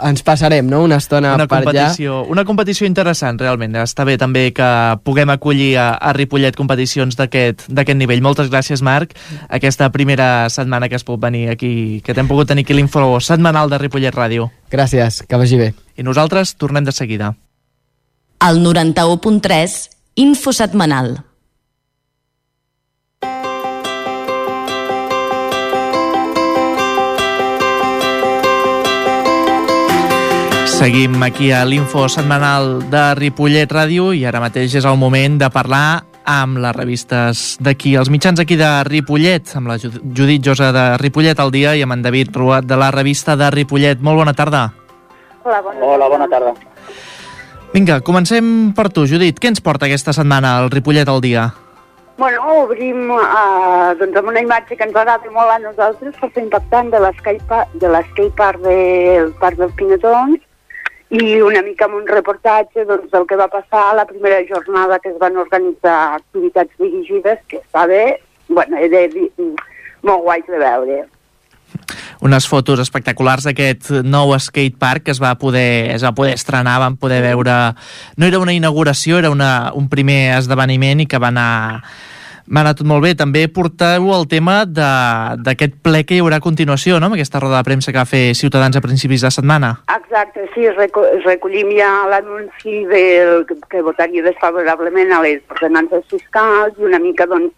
Ens passarem, no?, una estona una per allà. Una competició interessant, realment. Està bé també que puguem acollir a, a Ripollet competicions d'aquest nivell. Moltes gràcies, Marc. Aquesta primera setmana que has pogut venir aquí, que t'hem pogut tenir aquí l'info setmanal de Ripollet Ràdio. Gràcies, que vagi bé. I nosaltres tornem de seguida. El noranta-u punt tres, info setmanal. Seguim aquí a l'Info Setmanal de Ripollet Ràdio i ara mateix és el moment de parlar amb les revistes d'aquí, els mitjans aquí de Ripollet, amb la Judit Josa de Ripollet al dia i amb en David Ruat de la revista de Ripollet. Molt bona tarda. Hola, bona tarda. Hola, bona tarda. Vinga, comencem per tu, Judit. Què ens porta aquesta setmana al Ripollet al dia? Bueno, obrim uh, doncs amb una imatge que ens agrada molt a nosaltres, força impactant, de l'skate park del Parc dels Pinetons, i una mica amb un reportatge doncs, del que va passar a la primera jornada que es van organitzar activitats dirigides, que està bé, bueno, de, de, molt guai de veure. Unes fotos espectaculars d'aquest nou skatepark que es va poder, es va poder estrenar, vam poder veure... No era una inauguració, era una, un primer esdeveniment i que va anar, va anar tot molt bé. També porteu el tema d'aquest ple que hi haurà a continuació, no?, amb aquesta roda de premsa que va fer Ciutadans a principis de setmana. Exacte, sí, recollim ja l'anunci del que votaria desfavorablement a les ordenances fiscals i una mica, doncs,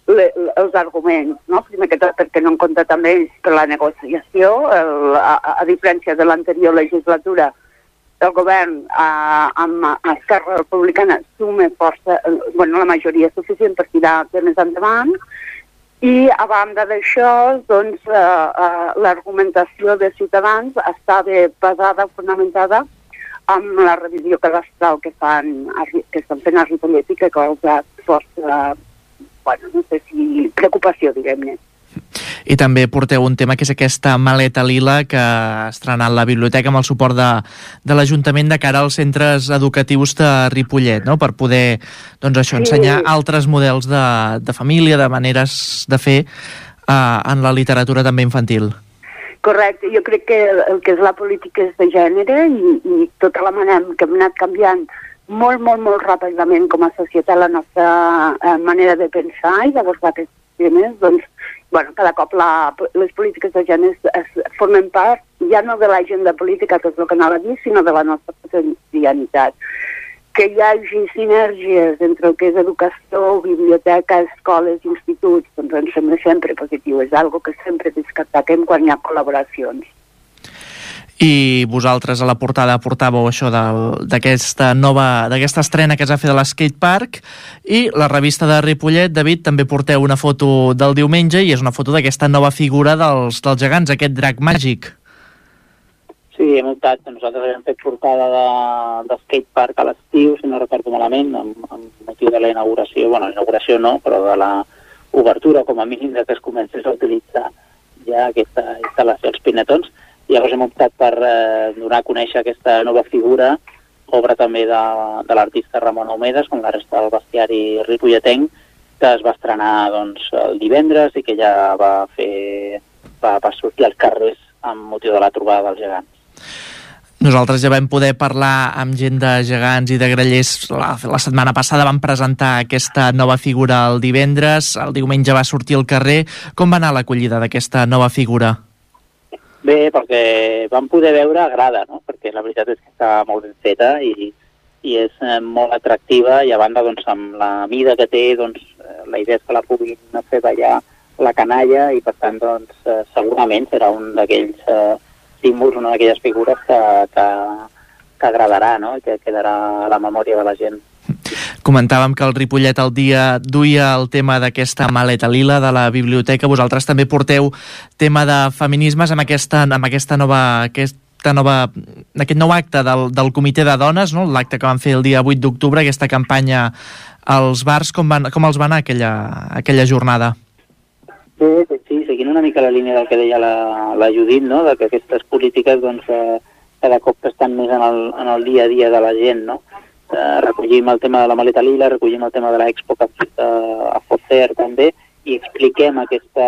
Le, els arguments, no? Primer que tot perquè no en compta també per la negociació, el, a, a diferència de l'anterior legislatura, el govern a, amb Esquerra Republicana sume força, bueno, la majoria suficient per tirar temes endavant, i a banda d'això, doncs, eh, eh, l'argumentació de Ciutadans estava basada, fonamentada, amb la revisió cadastral que, fan, que estan fent a Ripollet i que ha causat força... bueno, no sé si preocupació, diguem-ne. I també porteu un tema que és aquesta maleta lila que ha estrenat la biblioteca amb el suport de, de l'Ajuntament de cara als centres educatius de Ripollet, no?, per poder, doncs això, ensenyar sí. altres models de, de família, de maneres de fer eh, en la literatura també infantil. Correcte, jo crec que el que és la política és de gènere i, i tota la manera que hem anat canviant molt, molt, molt ràpidament com a societat la nostra eh, manera de pensar i d'abordar aquests temes, doncs, bueno, cada cop la, les polítiques de gènere es, es formen part ja no de l'agenda política, que és el que anava a dir, sinó de la nostra quotidianitat. Que hi hagi sinergies entre el que és educació, biblioteca, escoles, instituts, doncs ens sembla sempre positiu, és algo que sempre destaquem quan hi ha col·laboracions. I vosaltres a la portada portàveu això d'aquesta nova, d'aquesta estrena que es va fer de l'skatepark, i la revista de Ripollet, David, també porteu una foto del diumenge i és una foto d'aquesta nova figura dels, dels gegants, aquest drac màgic. Sí, hem optat, nosaltres hem fet portada de, de skatepark a l'estiu, si no recordo malament, amb, amb motiu de la inauguració, bueno, la inauguració no, però de la obertura, com a mínim, de que es comencés a utilitzar ja aquesta instal·lació als Pinetons. Llavors hem optat per eh, donar a conèixer aquesta nova figura, obra també de, de l'artista Ramon Homedes, com la resta del bestiari ripolletenc, que es va estrenar doncs, el divendres i que ja va fer va, va sortir als carrers amb motiu de la trobada dels gegants. Nosaltres ja vam poder parlar amb gent de gegants i de grallers. La, la setmana passada vam presentar aquesta nova figura el divendres, el diumenge va sortir al carrer. Com va anar l'acollida d'aquesta nova figura? Bé, perquè vam poder veure a grada, no? Perquè la veritat és que està molt ben feta i, i és eh, molt atractiva, i a banda, doncs, amb la mida que té, doncs, eh, la idea és que la puguin fer ballar la canalla i, per tant, doncs, eh, segurament serà un d'aquells eh, símbols, una d'aquelles figures que, que, que agradarà, no?, i que quedarà a la memòria de la gent. Comentàvem que el Ripollet al dia duia el tema d'aquesta maleta lila de la biblioteca. Vosaltres també porteu tema de feminismes amb aquesta, amb aquesta nova... Aquesta nova, aquest nou acte del, del Comitè de Dones, no?, l'acte que van fer el dia vuit d'octubre, aquesta campanya als bars. Com, van, com els va anar aquella, aquella jornada? Bé, sí, seguint una mica la línia del que deia la, la Judit, no?, de que aquestes polítiques, doncs, eh, cada cop estan més en el, en el dia a dia de la gent, no? Uh, recollim el tema de la maleta lila, recollim el tema de l'Expo que uh, a Focer també, i expliquem aquesta,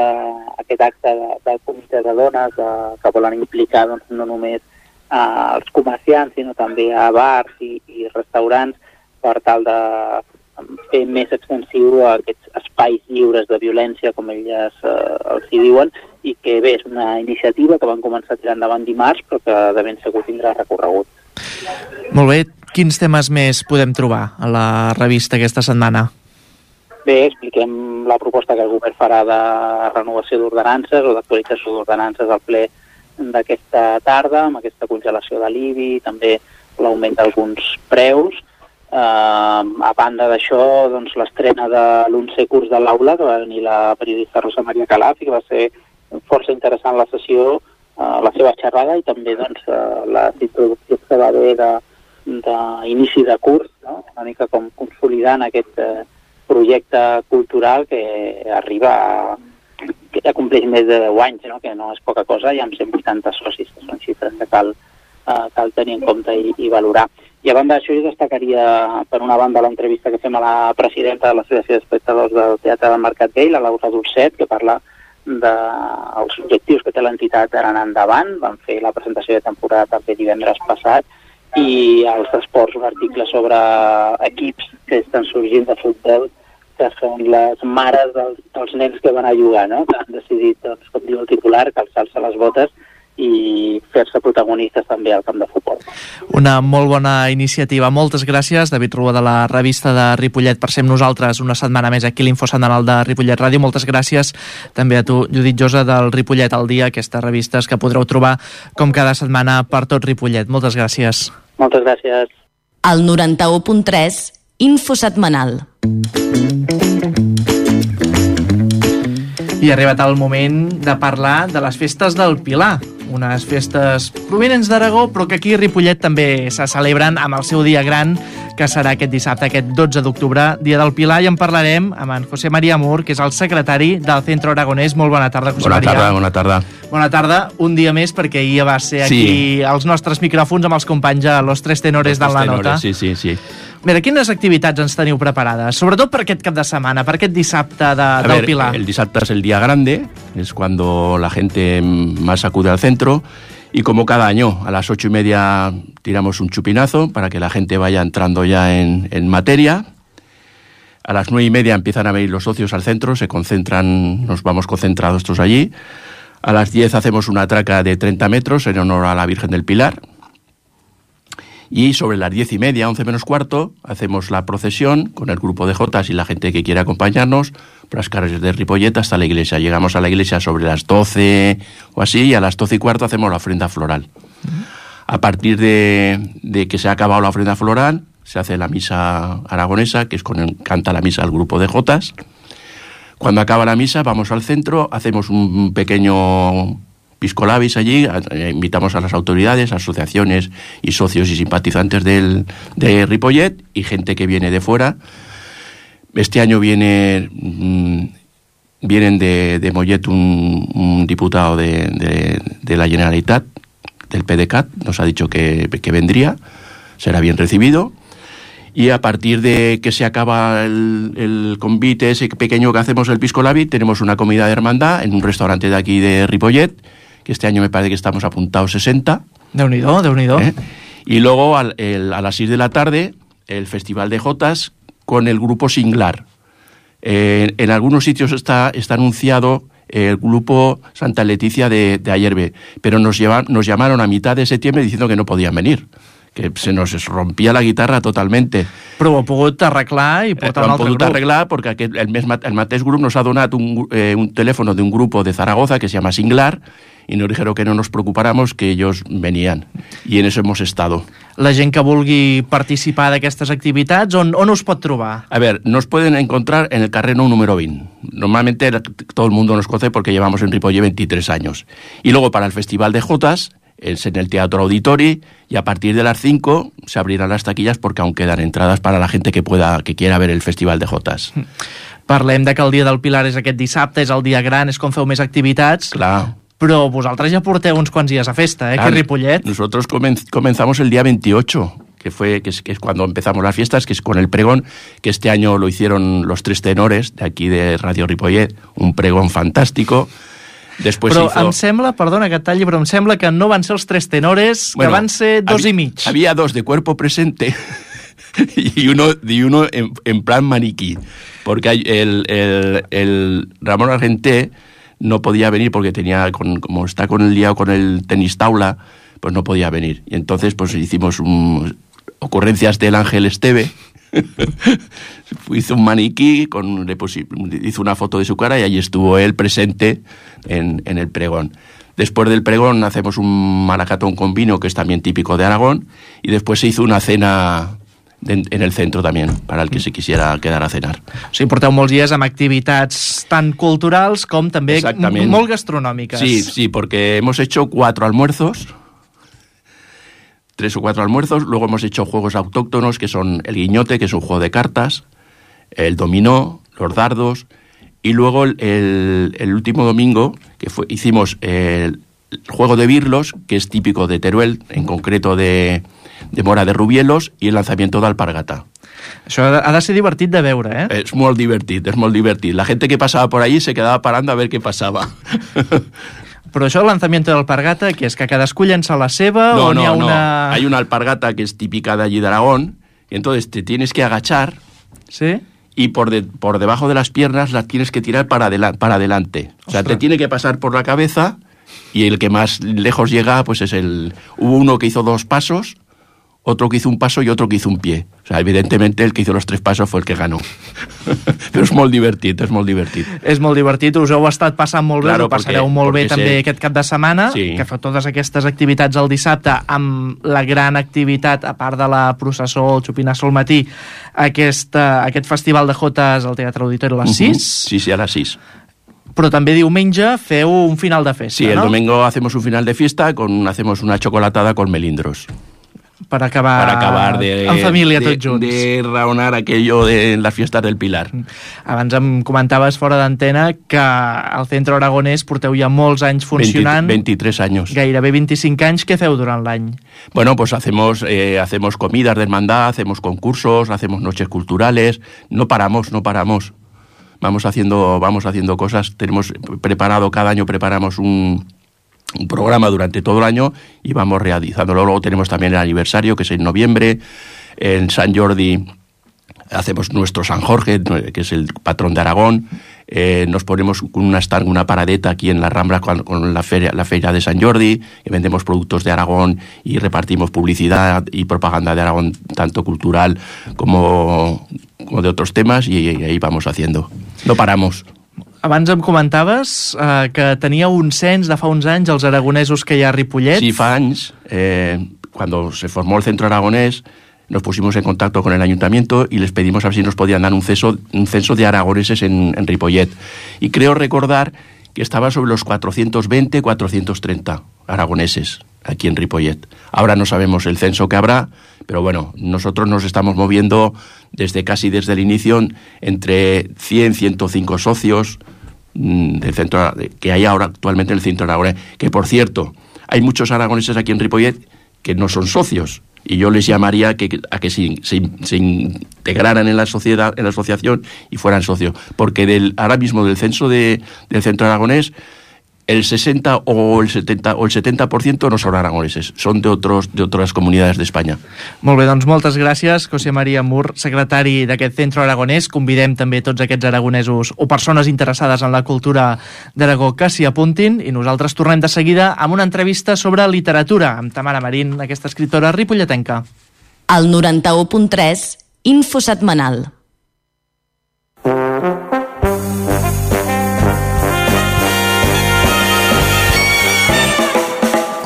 aquest acte de, del Comitè de Dones de, que volen implicar, doncs, no només uh, els comerciants, sinó també a bars i, i restaurants, per tal de fer més extensiu aquests espais lliures de violència, com elles uh, els hi diuen, i que bé, és una iniciativa que van començar a tirar endavant dimarts, però que de ben segur tindrà recorregut. Molt bé. Quins temes més podem trobar a la revista aquesta setmana? Bé, expliquem la proposta que el govern farà de renovació d'ordenances o d'actualització d'ordenances al ple d'aquesta tarda, amb aquesta congelació de l'I B I, també l'augment d'alguns preus. Eh, a banda d'això, doncs, l'estrena de l'onzè curs de l'aula, que va venir la periodista Rosa Maria Calaf, i que va ser força interessant la sessió, eh, la seva xerrada, i també doncs, eh, les introduccions que va haver d'inici de, de curs, no? Una mica com consolidant aquest eh, projecte cultural que arriba a, que ja compleix més de deu anys, no? Que no és poca cosa, i amb cent vuitanta socis, que són xifres que cal, eh, cal tenir en compte i, i valorar. I a banda d'això, jo destacaria, per una banda, l'entrevista que fem a la presidenta de l'Associació d'Espectadors del Teatre del Mercat Vell, la Laura Dolcet, que parla dels objectius que té l'entitat d'ara en endavant. Van fer la presentació de temporada també divendres passat, i als esports un article sobre equips que estan sorgint de futbol, que són les mares dels, dels nens que van a jugar, no? Que han decidit, doncs, com diu el titular, calçar-se les botes i fer-se protagonistes també al camp de futbol. Una molt bona iniciativa. Moltes gràcies, David Rua, de la revista de Ripollet, per ser amb nosaltres una setmana més aquí a l'Info Setmanal de Ripollet Ràdio. Moltes gràcies també a tu, Judit Josa, del Ripollet al Dia, aquestes revistes que podreu trobar com cada setmana per tot Ripollet. Moltes gràcies. Moltes gràcies. El noranta-u punt tres, Info Setmanal. I ha arribat el moment de parlar de les festes del Pilar, unes festes provinents d'Aragó, però que aquí a Ripollet també se celebren amb el seu dia gran, que serà aquest dissabte, aquest dotze d'octubre, Dia del Pilar, i en parlarem amb en José María Mur, que és el secretari del Centro Aragonès. Molt bona tarda, José bona María. Tarda, bona tarda. Bona tarda, un dia més, perquè ahir va ser aquí sí. als nostres micròfons amb els companys a Los Tres Tenores de la Nota. Sí, sí, sí. Mira, quines activitats ens teniu preparades? Sobretot per aquest cap de setmana, per aquest dissabte de, a del ver, Pilar. El dissabte es el día grande, es cuando la gente más acude al centro, y como cada año, a las ocho y media tiramos un chupinazo para que la gente vaya entrando ya en, en materia. A las nueve y media empiezan a venir los socios al centro, se concentran, nos vamos concentrados todos allí. A las diez hacemos una traca de treinta metros en honor a la Virgen del Pilar. Y sobre las diez y media, once menos cuarto, hacemos la procesión con el grupo de jotas y la gente que quiera acompañarnos por las calles de Ripollet hasta la iglesia. Llegamos a la iglesia sobre las doce o así, y a las doce y cuarto hacemos la ofrenda floral. A partir de, de que se ha acabado la ofrenda floral, se hace la misa aragonesa, que es con el, canta la misa el grupo de jotas. Cuando acaba la misa, vamos al centro, hacemos un pequeño pisco labis allí, invitamos a las autoridades, asociaciones y socios y simpatizantes del, de Ripollet y gente que viene de fuera. Este año viene mmm, vienen de, de Mollet un, un diputado de, de, de la Generalitat, del P D C A T, nos ha dicho que, que vendría, será bien recibido. Y a partir de que se acaba el, el convite ese pequeño que hacemos el Pisco Labi, tenemos una comida de hermandad en un restaurante de aquí de Ripollet, que este año me parece que estamos apuntados sesenta. Déu-n'hi-do, Déu-n'hi-do. ¿Eh? Y luego al, el, a las seis de la tarde, el Festival de Jotas con el grupo Singlar. Eh, en algunos sitios está, está anunciado el grupo Santa Leticia de, de Ayerbe, pero nos, lleva, nos llamaron a mitad de septiembre diciendo que no podían venir, que se nos rompía la guitarra totalmente. Però ho ha pogut arreglar i portar eh, un altre grup. arreglar porque aquest, el, mes, el mateix grup nos ha donat un, eh, un teléfono de un grupo de Zaragoza que se llama Singlar, y nos dijeron que no nos preocupáramos, que ellos venían, y en eso hemos estado. La gent que vulgui participar d'aquestes activitats, on, on us pot trobar? A ver, nos pueden encontrar en el Carreno número veinte. Normalmente todo el mundo nos conoce porque llevamos en Ripollet veintitrés años. Y luego para el Festival de Jotas es en el Teatro Auditori, y a partir de las cinco se abrirán las taquillas porque aún quedan entradas para la gente que pueda, que quiera ver el Festival de Jotas. Parlem de que el Dia del Pilar és aquest dissabte, és el dia gran, és com feu més activitats. Clar. Però vosaltres ja porteu uns quants dies a festa, eh, que Ripollet. Nosotros comenz, comenzamos el día veintiocho, que fue que es, que es cuando empezamos las fiestas, que es con el pregón, que este año lo hicieron los Tres Tenores de aquí de Radio Ripollet, un pregón fantástico. Después però hizo... em sembla, perdona que et talli, però em sembla que no van ser els Tres Tenores, bueno, que van ser dos había, i mig. Había dos de cuerpo presente y uno, y uno en, en plan maniquí, porque hay el, el, el Ramón Argenté no podía venir porque tenía, con, como está con el liado con el tenis taula, pues no podía venir. Y entonces pues hicimos un, ocurrencias del Ángel Esteve, hizo un maniquí, con, le pusi, hizo una foto de su cara y allí estuvo él presente en, en el pregón. Después del pregón hacemos un maracatón con vino, que es también típico de Aragón, y después se hizo una cena en, en el centro también, para el que se quisiera quedar a cenar. O sigui, porteu molts dies amb activitats tan culturals com també molt gastronòmiques. Sí, sí, porque hemos hecho cuatro almuerzos, tres o cuatro almuerzos, luego hemos hecho juegos autóctonos, que son el guiñote, que es un juego de cartas, el dominó, los dardos, y luego el, el, el último domingo que fue, hicimos el, el juego de birlos, que es típico de Teruel, en concreto de, de Mora de Rubielos, i el lanzamiento d'alpargata. Això ha de ser divertit de veure, eh? És molt divertit, és molt divertit. La gente que pasaba por allí se quedaba parando a ver qué pasaba. Però això, el lanzamiento d'alpargata, que és que cadascú llença la seva, no, o n'hi no, ha una... No, hay una alpargata que es típica de allí de Aragón, y entonces te tienes que agachar, ¿sí?, y por, de, por debajo de las piernas las tienes que tirar para, adela- para adelante. O sea, te tiene que pasar por la cabeza, y el que más lejos llega, pues es el... Hubo uno que hizo dos pasos, otro que hizo un paso y otro que hizo un pie. O sea, evidentemente el que hizo los tres pasos fue el que ganó. Però és molt divertit, és molt divertit. És molt divertit, us heu estat passant molt bé, Claro, us ho passareu porque, molt bé porque també se... aquest cap de setmana, sí. que fa totes aquestes activitats el dissabte, amb la gran activitat, a part de la processó, el xupinasso al matí, aquest, aquest festival de jotes al Teatre Auditori a les sis. Uh-huh. Sí, sí, a les sis. Però també diumenge feu un final de festa, sí, ¿no? Sí, el domingo hacemos un final de fiesta, con, hacemos una chocolatada con melindros. Per acabar, para acabar de, en família de, tots junts. De raonar aquello de las fiestas del Pilar. Abans em comentaves fora d'antena que al Centre Aragonès porteu ja molts anys funcionant. veintitrés años. Gairebé veinticinc anys. Què feu durant l'any? Bueno, pues hacemos, eh, hacemos comidas de hermandad, hacemos concursos, hacemos noches culturales. No paramos, no paramos. Vamos haciendo, vamos haciendo cosas. Tenemos preparado, cada año preparamos un... un programa durante todo el año y vamos realizándolo. Luego tenemos también el aniversario, que es en noviembre. En San Jordi hacemos nuestro San Jorge, que es el patrón de Aragón. Eh, nos ponemos una stand, una paradeta aquí en la Rambla con, con la feria, la feria de San Jordi, que vendemos productos de Aragón y repartimos publicidad y propaganda de Aragón, tanto cultural como, como de otros temas, y, y ahí vamos haciendo. No paramos. Abans em comentaves eh, que teníeu un cens de fa uns anys els aragonesos que hi ha a Ripollet. Sí, fa anys, eh, cuando se formó el Centro Aragonés, nos pusimos en contacto con el ayuntamiento y les pedimos a ver si nos podían dar un censo, un censo de aragoneses en, en Ripollet. Y creo recordar que estaba sobre los cuatrocientos veinte, cuatrocientos treinta aragoneses aquí en Ripollet. Ahora no sabemos el censo que habrá, pero bueno, nosotros nos estamos moviendo desde casi desde el inicio entre cien, ciento cinco socios del centro que hay ahora actualmente en el Centro Aragonés. Que, por cierto, hay muchos aragoneses aquí en Ripollet que no son socios, y yo les llamaría que, a que se, se, se integraran en la sociedad, en la asociación, y fueran socios, porque del, ahora mismo del censo de, del Centro Aragonés, el sesenta o el setenta o el setenta por ciento no son aragoneses, son de otros de otras comunidades de España. Molt bé, doncs moltes gràcies, José María Mur, secretari d'aquest Centre Aragonès. Convidem també tots aquests aragonesos o persones interessades en la cultura d'Aragó que s'hi apuntin, i nosaltres tornem de seguida amb una entrevista sobre literatura amb Tamara Marín, aquesta escriptora ripolletenca. Al noranta-u punt tres, Info Setmanal.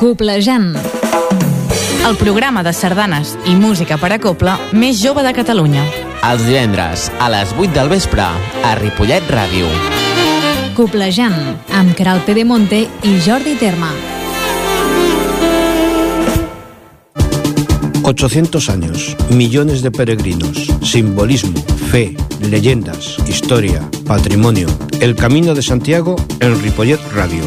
Coplejant, el programa de sardanes i música per a copla més jove de Catalunya. Els divendres a les vuit del vespre a Ripollet Ràdio. Coplejant, amb Queralt Pedemonte i Jordi Terma. ochocientos años, millones de peregrinos, simbolismo, fe, leyendas, historia, patrimonio. El Camino de Santiago en Ripollet Radio.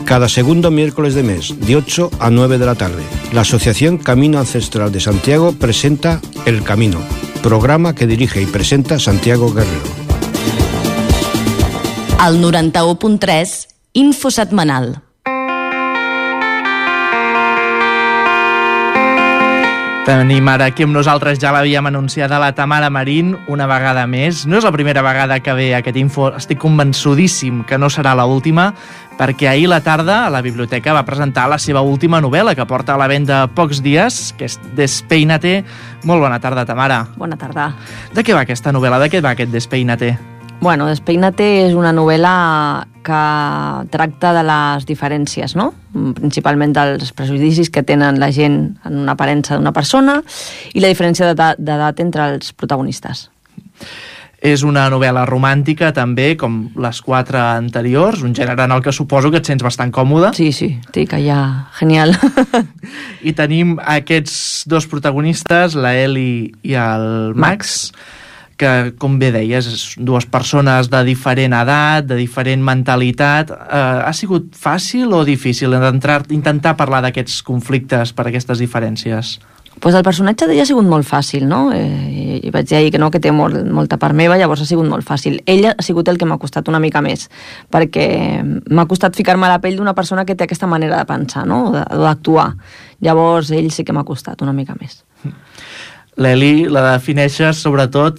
Cada segundo miércoles de mes, de ocho a nueve de la tarde, la Asociación Camino Ancestral de Santiago presenta El Camino, programa que dirige y presenta Santiago Guerrero. Al noranta-u punt tres, Info Setmanal. Tenim ara aquí amb nosaltres, ja l'havíem anunciada, la Tamara Marín, una vegada més. No és la primera vegada que ve aquest info, estic convençudíssim que no serà l'última, perquè ahir a la tarda a la biblioteca va presentar la seva última novel·la, que porta a la venda pocs dies, que és Despeínate. Molt bona tarda, Tamara. Bona tarda. De què va aquesta novel·la? De què va aquest Despeínate? Bueno, Despeina-te és una novel·la que tracta de les diferències, no? Principalment dels prejudicis que tenen la gent en una aparença d'una persona i la diferència d'edat entre els protagonistes. És una novel·la romàntica també, com les quatre anteriors, un gènere en el que suposo que et sents bastant còmode. Sí, sí, estic allà, genial. I tenim aquests dos protagonistes, la Eli i el Max, que, com bé deies, dues persones de diferent edat, de diferent mentalitat. Eh, ha sigut fàcil o difícil entrar, intentar parlar d'aquests conflictes per aquestes diferències? Pues el personatge d'ella ha sigut molt fàcil, no? Eh, i vaig dir ahir que no, que té molt, molta part meva, llavors ha sigut molt fàcil. Ella ha sigut el que m'ha costat una mica més, perquè m'ha costat ficar-me a la pell d'una persona que té aquesta manera de pensar, no? O d'actuar. Llavors ell sí que m'ha costat una mica més. L'Eli la defineixes sobretot...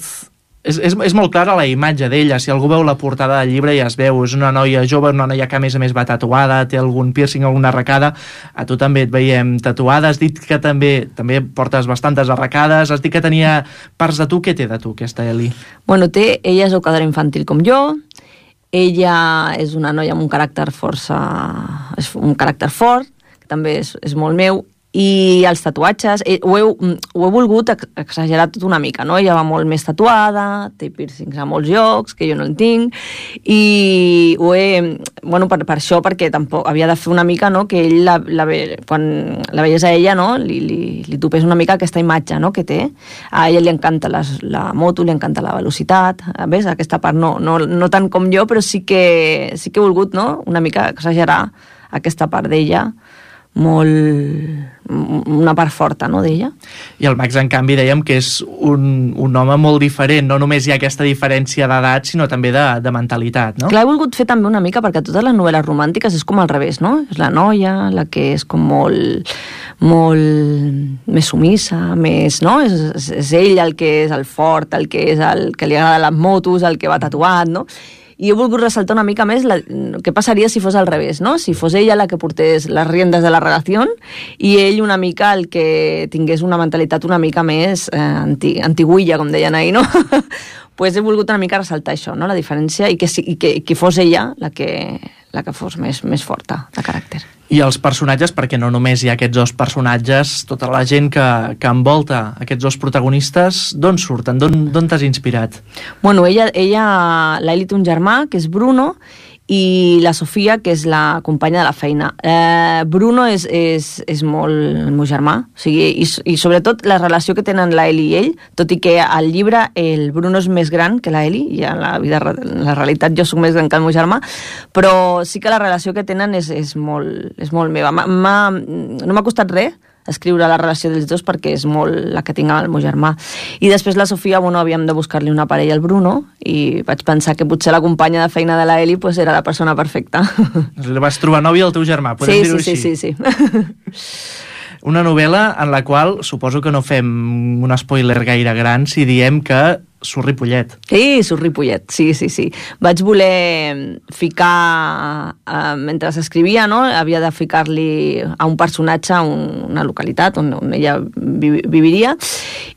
És, és, és molt clara la imatge d'ella. Si algú veu la portada del llibre ja es veu. És una noia jove, una noia que a més a més va tatuada, té algun piercing, alguna arracada. A tu també et veiem tatuada. Has dit que també també portes bastantes arracades. Has dit que tenia parts de tu. Què té de tu, aquesta Eli? Bueno, té... Ella és educadora infantil com jo. Ella és una noia amb un caràcter força... És un caràcter fort, que també és, és molt meu. I els tatuatges, eh, ho, he, ho he volgut exagerar tot una mica, no? Ella va molt més tatuada, té piercings a molts llocs, que jo no en tinc, i ho he... Bueno, per, per això, perquè tampoc havia de fer una mica, no?, que ell, la, la, quan la veies a ella, no?, li, li, li topés una mica aquesta imatge, no?, que té. A ella li encanta les, la moto, li encanta la velocitat, ves? Aquesta part no, no, no tant com jo, però sí que, sí que he volgut, no?, una mica exagerar aquesta part d'ella, molt... una part forta, no?, d'ella. I el Max, en canvi, dèiem que és un, un home molt diferent. No només hi ha aquesta diferència d'edat, sinó també de, de mentalitat, no? Clar, he volgut fer també una mica, perquè totes les novel·les romàntiques és com al revés, no? És la noia, la que és com molt... molt més sumissa, més, no? És, és ell el que és el fort, el que és el que li agrada les motos, el que va tatuat, no? I he volgut ressaltar una mica més la, què passaria si fos al revés, no? Si fos ella la que portés les riendes de la relació i ell una mica el que tingués una mentalitat una mica més eh, anti, antiguilla, com deien ahir, no? Pues he volgut una mica ressaltar això, no? La diferència, i que, i que, que fos ella la que, la que fos més, més forta de caràcter. I els personatges, perquè no només hi ha aquests dos personatges, tota la gent que, que envolta aquests dos protagonistes, d'on surten? D'on t'has inspirat? Bueno, ella, ella l'Eli té un germà, que és Bruno, i la Sofia, que és la companya de la feina. Eh, Bruno és, és, és molt el meu germà, o sigui, i, i sobretot la relació que tenen la Eli i ell, tot i que al llibre el Bruno és més gran que la Eli, i en la, vida, en la realitat jo soc més gran que el meu germà, però sí que la relació que tenen és, és, molt, és molt meva. M ha, no m'ha costat res escriure la relació dels dos, perquè és molt la que tinc amb el meu germà. I després la Sofia, bueno, havíem de buscar-li una parella al Bruno, i vaig pensar que potser la companya de feina de la Eli pues, era la persona perfecta. Vas trobar nòvia al teu germà, podem sí, dir-ho sí, així? Sí, sí, sí. Una novel·la en la qual suposo que no fem un spoiler gaire gran si diem que surt Ripollet. Sí, surt Ripollet, sí, sí, sí. Vaig voler ficar, eh, mentre s'escrivia, no?, havia de ficar-li a un personatge a un, una localitat on, on ella vi, viviria,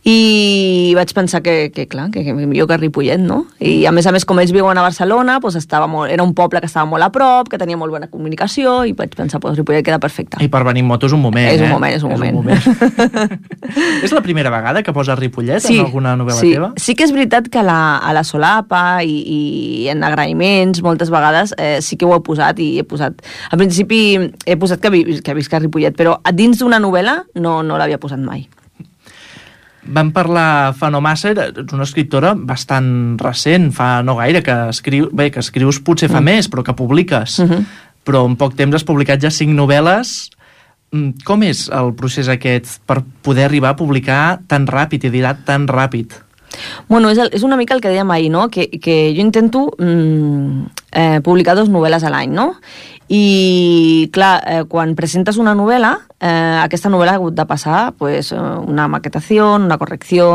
i vaig pensar que, que clar, que, que millor que Ripollet, no? I a més a més, com ells viuen a Barcelona, doncs estava molt, era un poble que estava molt a prop, que tenia molt bona comunicació, i vaig pensar, doncs Ripollet queda perfecte. I per venir en moto és un moment, és un eh? moment, és un moment. És, un moment. És la primera vegada que posa Ripollet sí, en alguna novel·la sí. teva? Sí que és veritat que a la, a la solapa i, i en agraïments moltes vegades eh, sí que ho he posat, i he posat al principi he posat que, vi, que visc a Ripollet, però dins d'una novel·la no, no l'havia posat mai. Vam parlar fa no massa, ets una escriptora bastant recent, fa no gaire que, escriu, bé, que escrius potser fa mm. més, però que publiques. Mm-hmm. Però en poc temps has publicat ja cinc novel·les. Com és el procés aquest per poder arribar a publicar tan ràpid, editat tan ràpid? Bueno, és, el, és una mica el que dèiem ahir, no? Que, que jo intento mm, eh, publicar dos novel·les a l'any, no? I, clar, eh, quan presentes una novel·la, eh, aquesta novel·la ha hagut de passar pues, una maquetació, una correcció,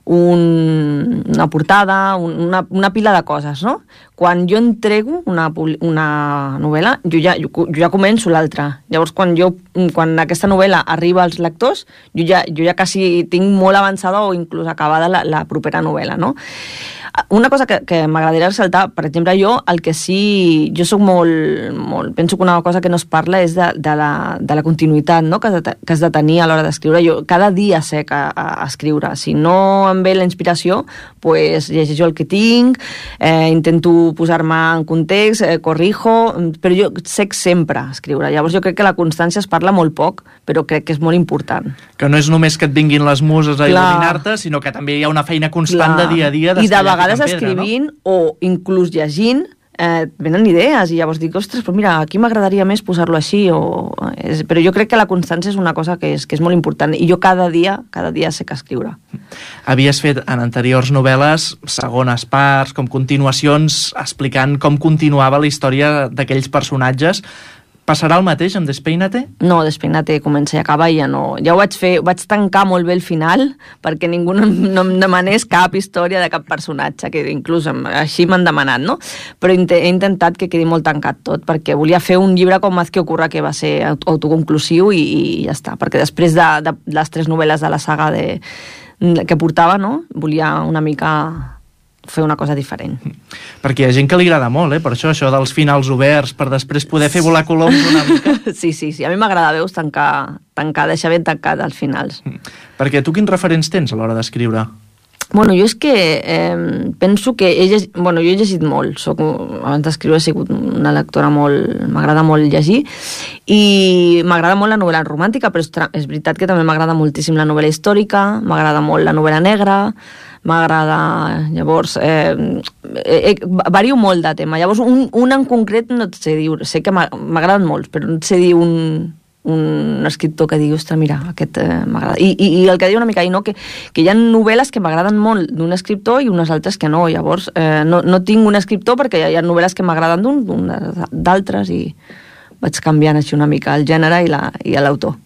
un, una portada, un, una, una pila de coses, no? Quan jo entrego una, una novel·la, jo ja, jo, jo ja començo l'altra. Llavors, quan, jo, quan aquesta novel·la arriba als lectors, jo ja, jo ja quasi tinc molt avançada o inclús acabada la, la propera novel·la, no? Una cosa que, que m'agradaria ressaltar, per exemple, jo, el que sí... Jo soc molt, molt... Penso que una cosa que no es parla és de, de, la, de la continuïtat, no?, que has de, que has de tenir a l'hora d'escriure. Jo cada dia sé que a, a escriure. Si no em ve la inspiració, pues, llegeixo el que tinc, eh, intento posar-me en context, eh, corrijo, però jo sé sempre escriure. Llavors jo crec que la constància es parla molt poc, però crec que és molt important. Que no és només que et vinguin les muses a il·luminar-te, sinó que també hi ha una feina constant Clar. de dia a dia. I de vegades escrivint, no? O inclús llegint, eh, venen idees, i llavors dic, ostres, però mira, aquí m'agradaria més posar-lo així, o... és... però jo crec que la constància és una cosa que és, que és molt important, i jo cada dia, cada dia sé que escriure. Havies fet en anteriors novel·les segones parts, com continuacions, explicant com continuava la història d'aquells personatges. Passarà el mateix amb Despeina-te? No, Despeina-te comença i acaba i ja no... Ja ho vaig fer, vaig tancar molt bé el final perquè ningú no, no em demanés cap història de cap personatge, que inclús així m'han demanat, no? Però he intentat que quedi molt tancat tot, perquè volia fer un llibre com Haz que ocurra, que va ser autoconclusiu i, i ja està, perquè després de, de les tres novel·les de la saga de, que portava, no? Volia una mica fer una cosa diferent. Perquè hi ha gent que li agrada molt, eh? Per això, això dels finals oberts, per després poder fer volar coloms una mica. Sí, sí, sí. A mi m'agrada, veus, tancar, tancar, deixar ben tancat als finals. Perquè tu quins referents tens a l'hora d'escriure? Bueno, jo és que eh, penso que he llegit, bueno, jo he llegit molt. Soc, abans d'escriure he sigut una lectora molt... M'agrada molt llegir i m'agrada molt la novel·la romàntica, però és, és veritat que també m'agrada moltíssim la novel·la històrica, m'agrada molt la novel·la negra, m'agrada, llavors, eh, eh, vario molt de tema. Llavors, un, un en concret no et sé dir, sé que m'agraden molts, però no et sé dir un, un escriptor que digui, ostres, mira, aquest eh, m'agrada. I, i, I el que diu una mica, i no, que, que hi ha novel·les que m'agraden molt d'un escriptor i unes altres que no. Llavors, eh, no, no tinc un escriptor perquè hi ha novel·les que m'agraden d'un, d'altres, i vaig canviant així una mica el gènere i la, i l'autor.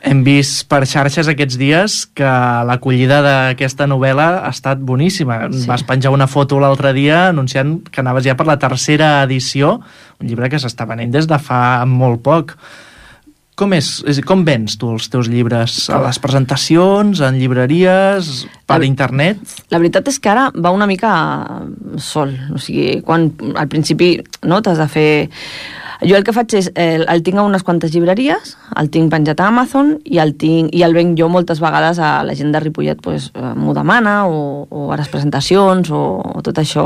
Hem vist per xarxes aquests dies que l'acollida d'aquesta novel·la ha estat boníssima. Sí. Vas penjar una foto l'altre dia anunciant que anaves ja per la tercera edició, un llibre que s'està venent des de fa molt poc. Com és? Com vens tu els teus llibres? A les presentacions, en llibreries, per la, internet? La veritat és que ara va una mica sol. O sigui, quan al principi no t'has de fer... Jo el que faig és, eh, el tinc a unes quantes llibreries, el tinc penjat a Amazon i el, tinc, i el venc jo moltes vegades a la gent de Ripollet, pues, m'ho demana, o, o a les presentacions, o, o tot això.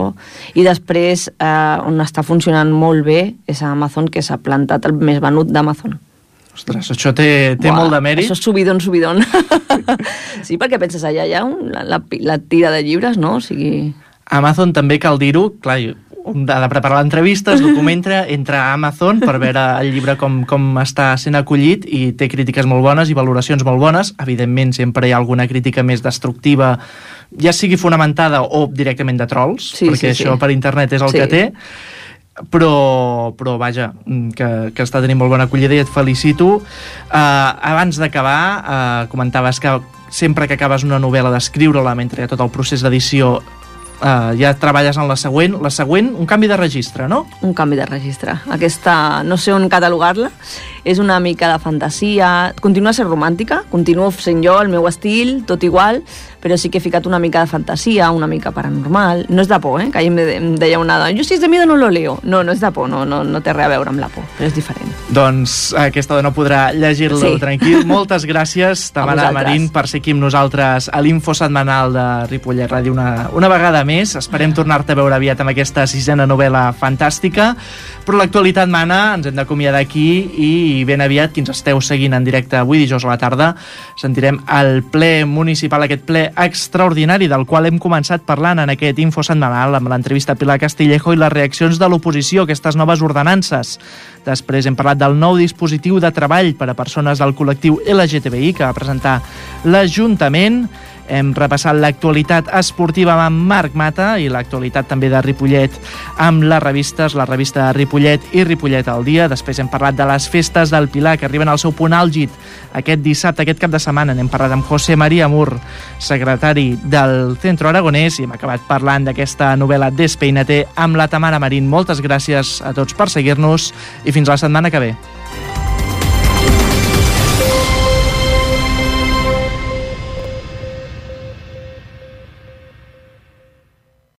I després, eh, on està funcionant molt bé, és a Amazon, que s'ha plantat el més venut d'Amazon. Ostres, això té, té Buah, molt de mèrit. Això és subidon, subidon. Sí, perquè penses, allà hi ha un, la, la, la tira de llibres, no? O sigui... Amazon també cal dir-ho, clar, ha de preparar l'entrevista, es documenta, entra a Amazon per veure el llibre com, com està sent acollit, i té crítiques molt bones i valoracions molt bones. Evidentment, sempre hi ha alguna crítica més destructiva, ja sigui fonamentada o directament de trolls, sí, perquè sí, això sí. Per internet és el sí. que té, però, però vaja, que, que està tenint molt bona acollida i et felicito. Uh, abans d'acabar, uh, comentaves que sempre que acabes una novel·la d'escriure-la, mentre hi ha tot el procés d'edició, Uh, ja treballes en la següent. La següent, un canvi de registre, no? Un canvi de registre. Aquesta, no sé on catalogar-la, és una mica de fantasia, continua sent romàntica, continuo sent jo, el meu estil, tot igual, però sí que he ficat una mica de fantasia, una mica paranormal. No és de por, eh? Que ahir em deia una dona, jo si és de miedo no lo leo. No, no és de por, no, no, no té res a veure amb la por, però és diferent. Doncs aquesta dona podrà llegir-lo sí. tranquil. Moltes gràcies, Tamara Marín, per ser aquí amb nosaltres a l'Info Setmanal de Ripollet Ràdio una, una vegada més. Esperem tornar-te a veure aviat amb aquesta sisena novel·la fantàstica, però l'actualitat mana, ens hem d'acomiadar aquí, i ben aviat, qui ens esteu seguint en directe avui dijous a la tarda, sentirem el ple municipal, aquest ple extraordinari del qual hem començat parlant en aquest Info Setmanal amb l'entrevista a Pilar Castillejo i les reaccions de l'oposició a aquestes noves ordenances. Després hem parlat del nou dispositiu de treball per a persones del col·lectiu L G T B I que va presentar l'Ajuntament. Hem repassat l'actualitat esportiva amb Marc Mata i l'actualitat també de Ripollet amb les revistes, la revista Ripollet i Ripollet al dia. Després hem parlat de les festes del Pilar, que arriben al seu punt àlgid aquest dissabte, aquest cap de setmana. N'hem parlat amb José María Mur, secretari del Centro Aragonès, i hem acabat parlant d'aquesta novel·la Despeínate amb la Tamara Marín. Moltes gràcies a tots per seguir-nos i fins la setmana que ve.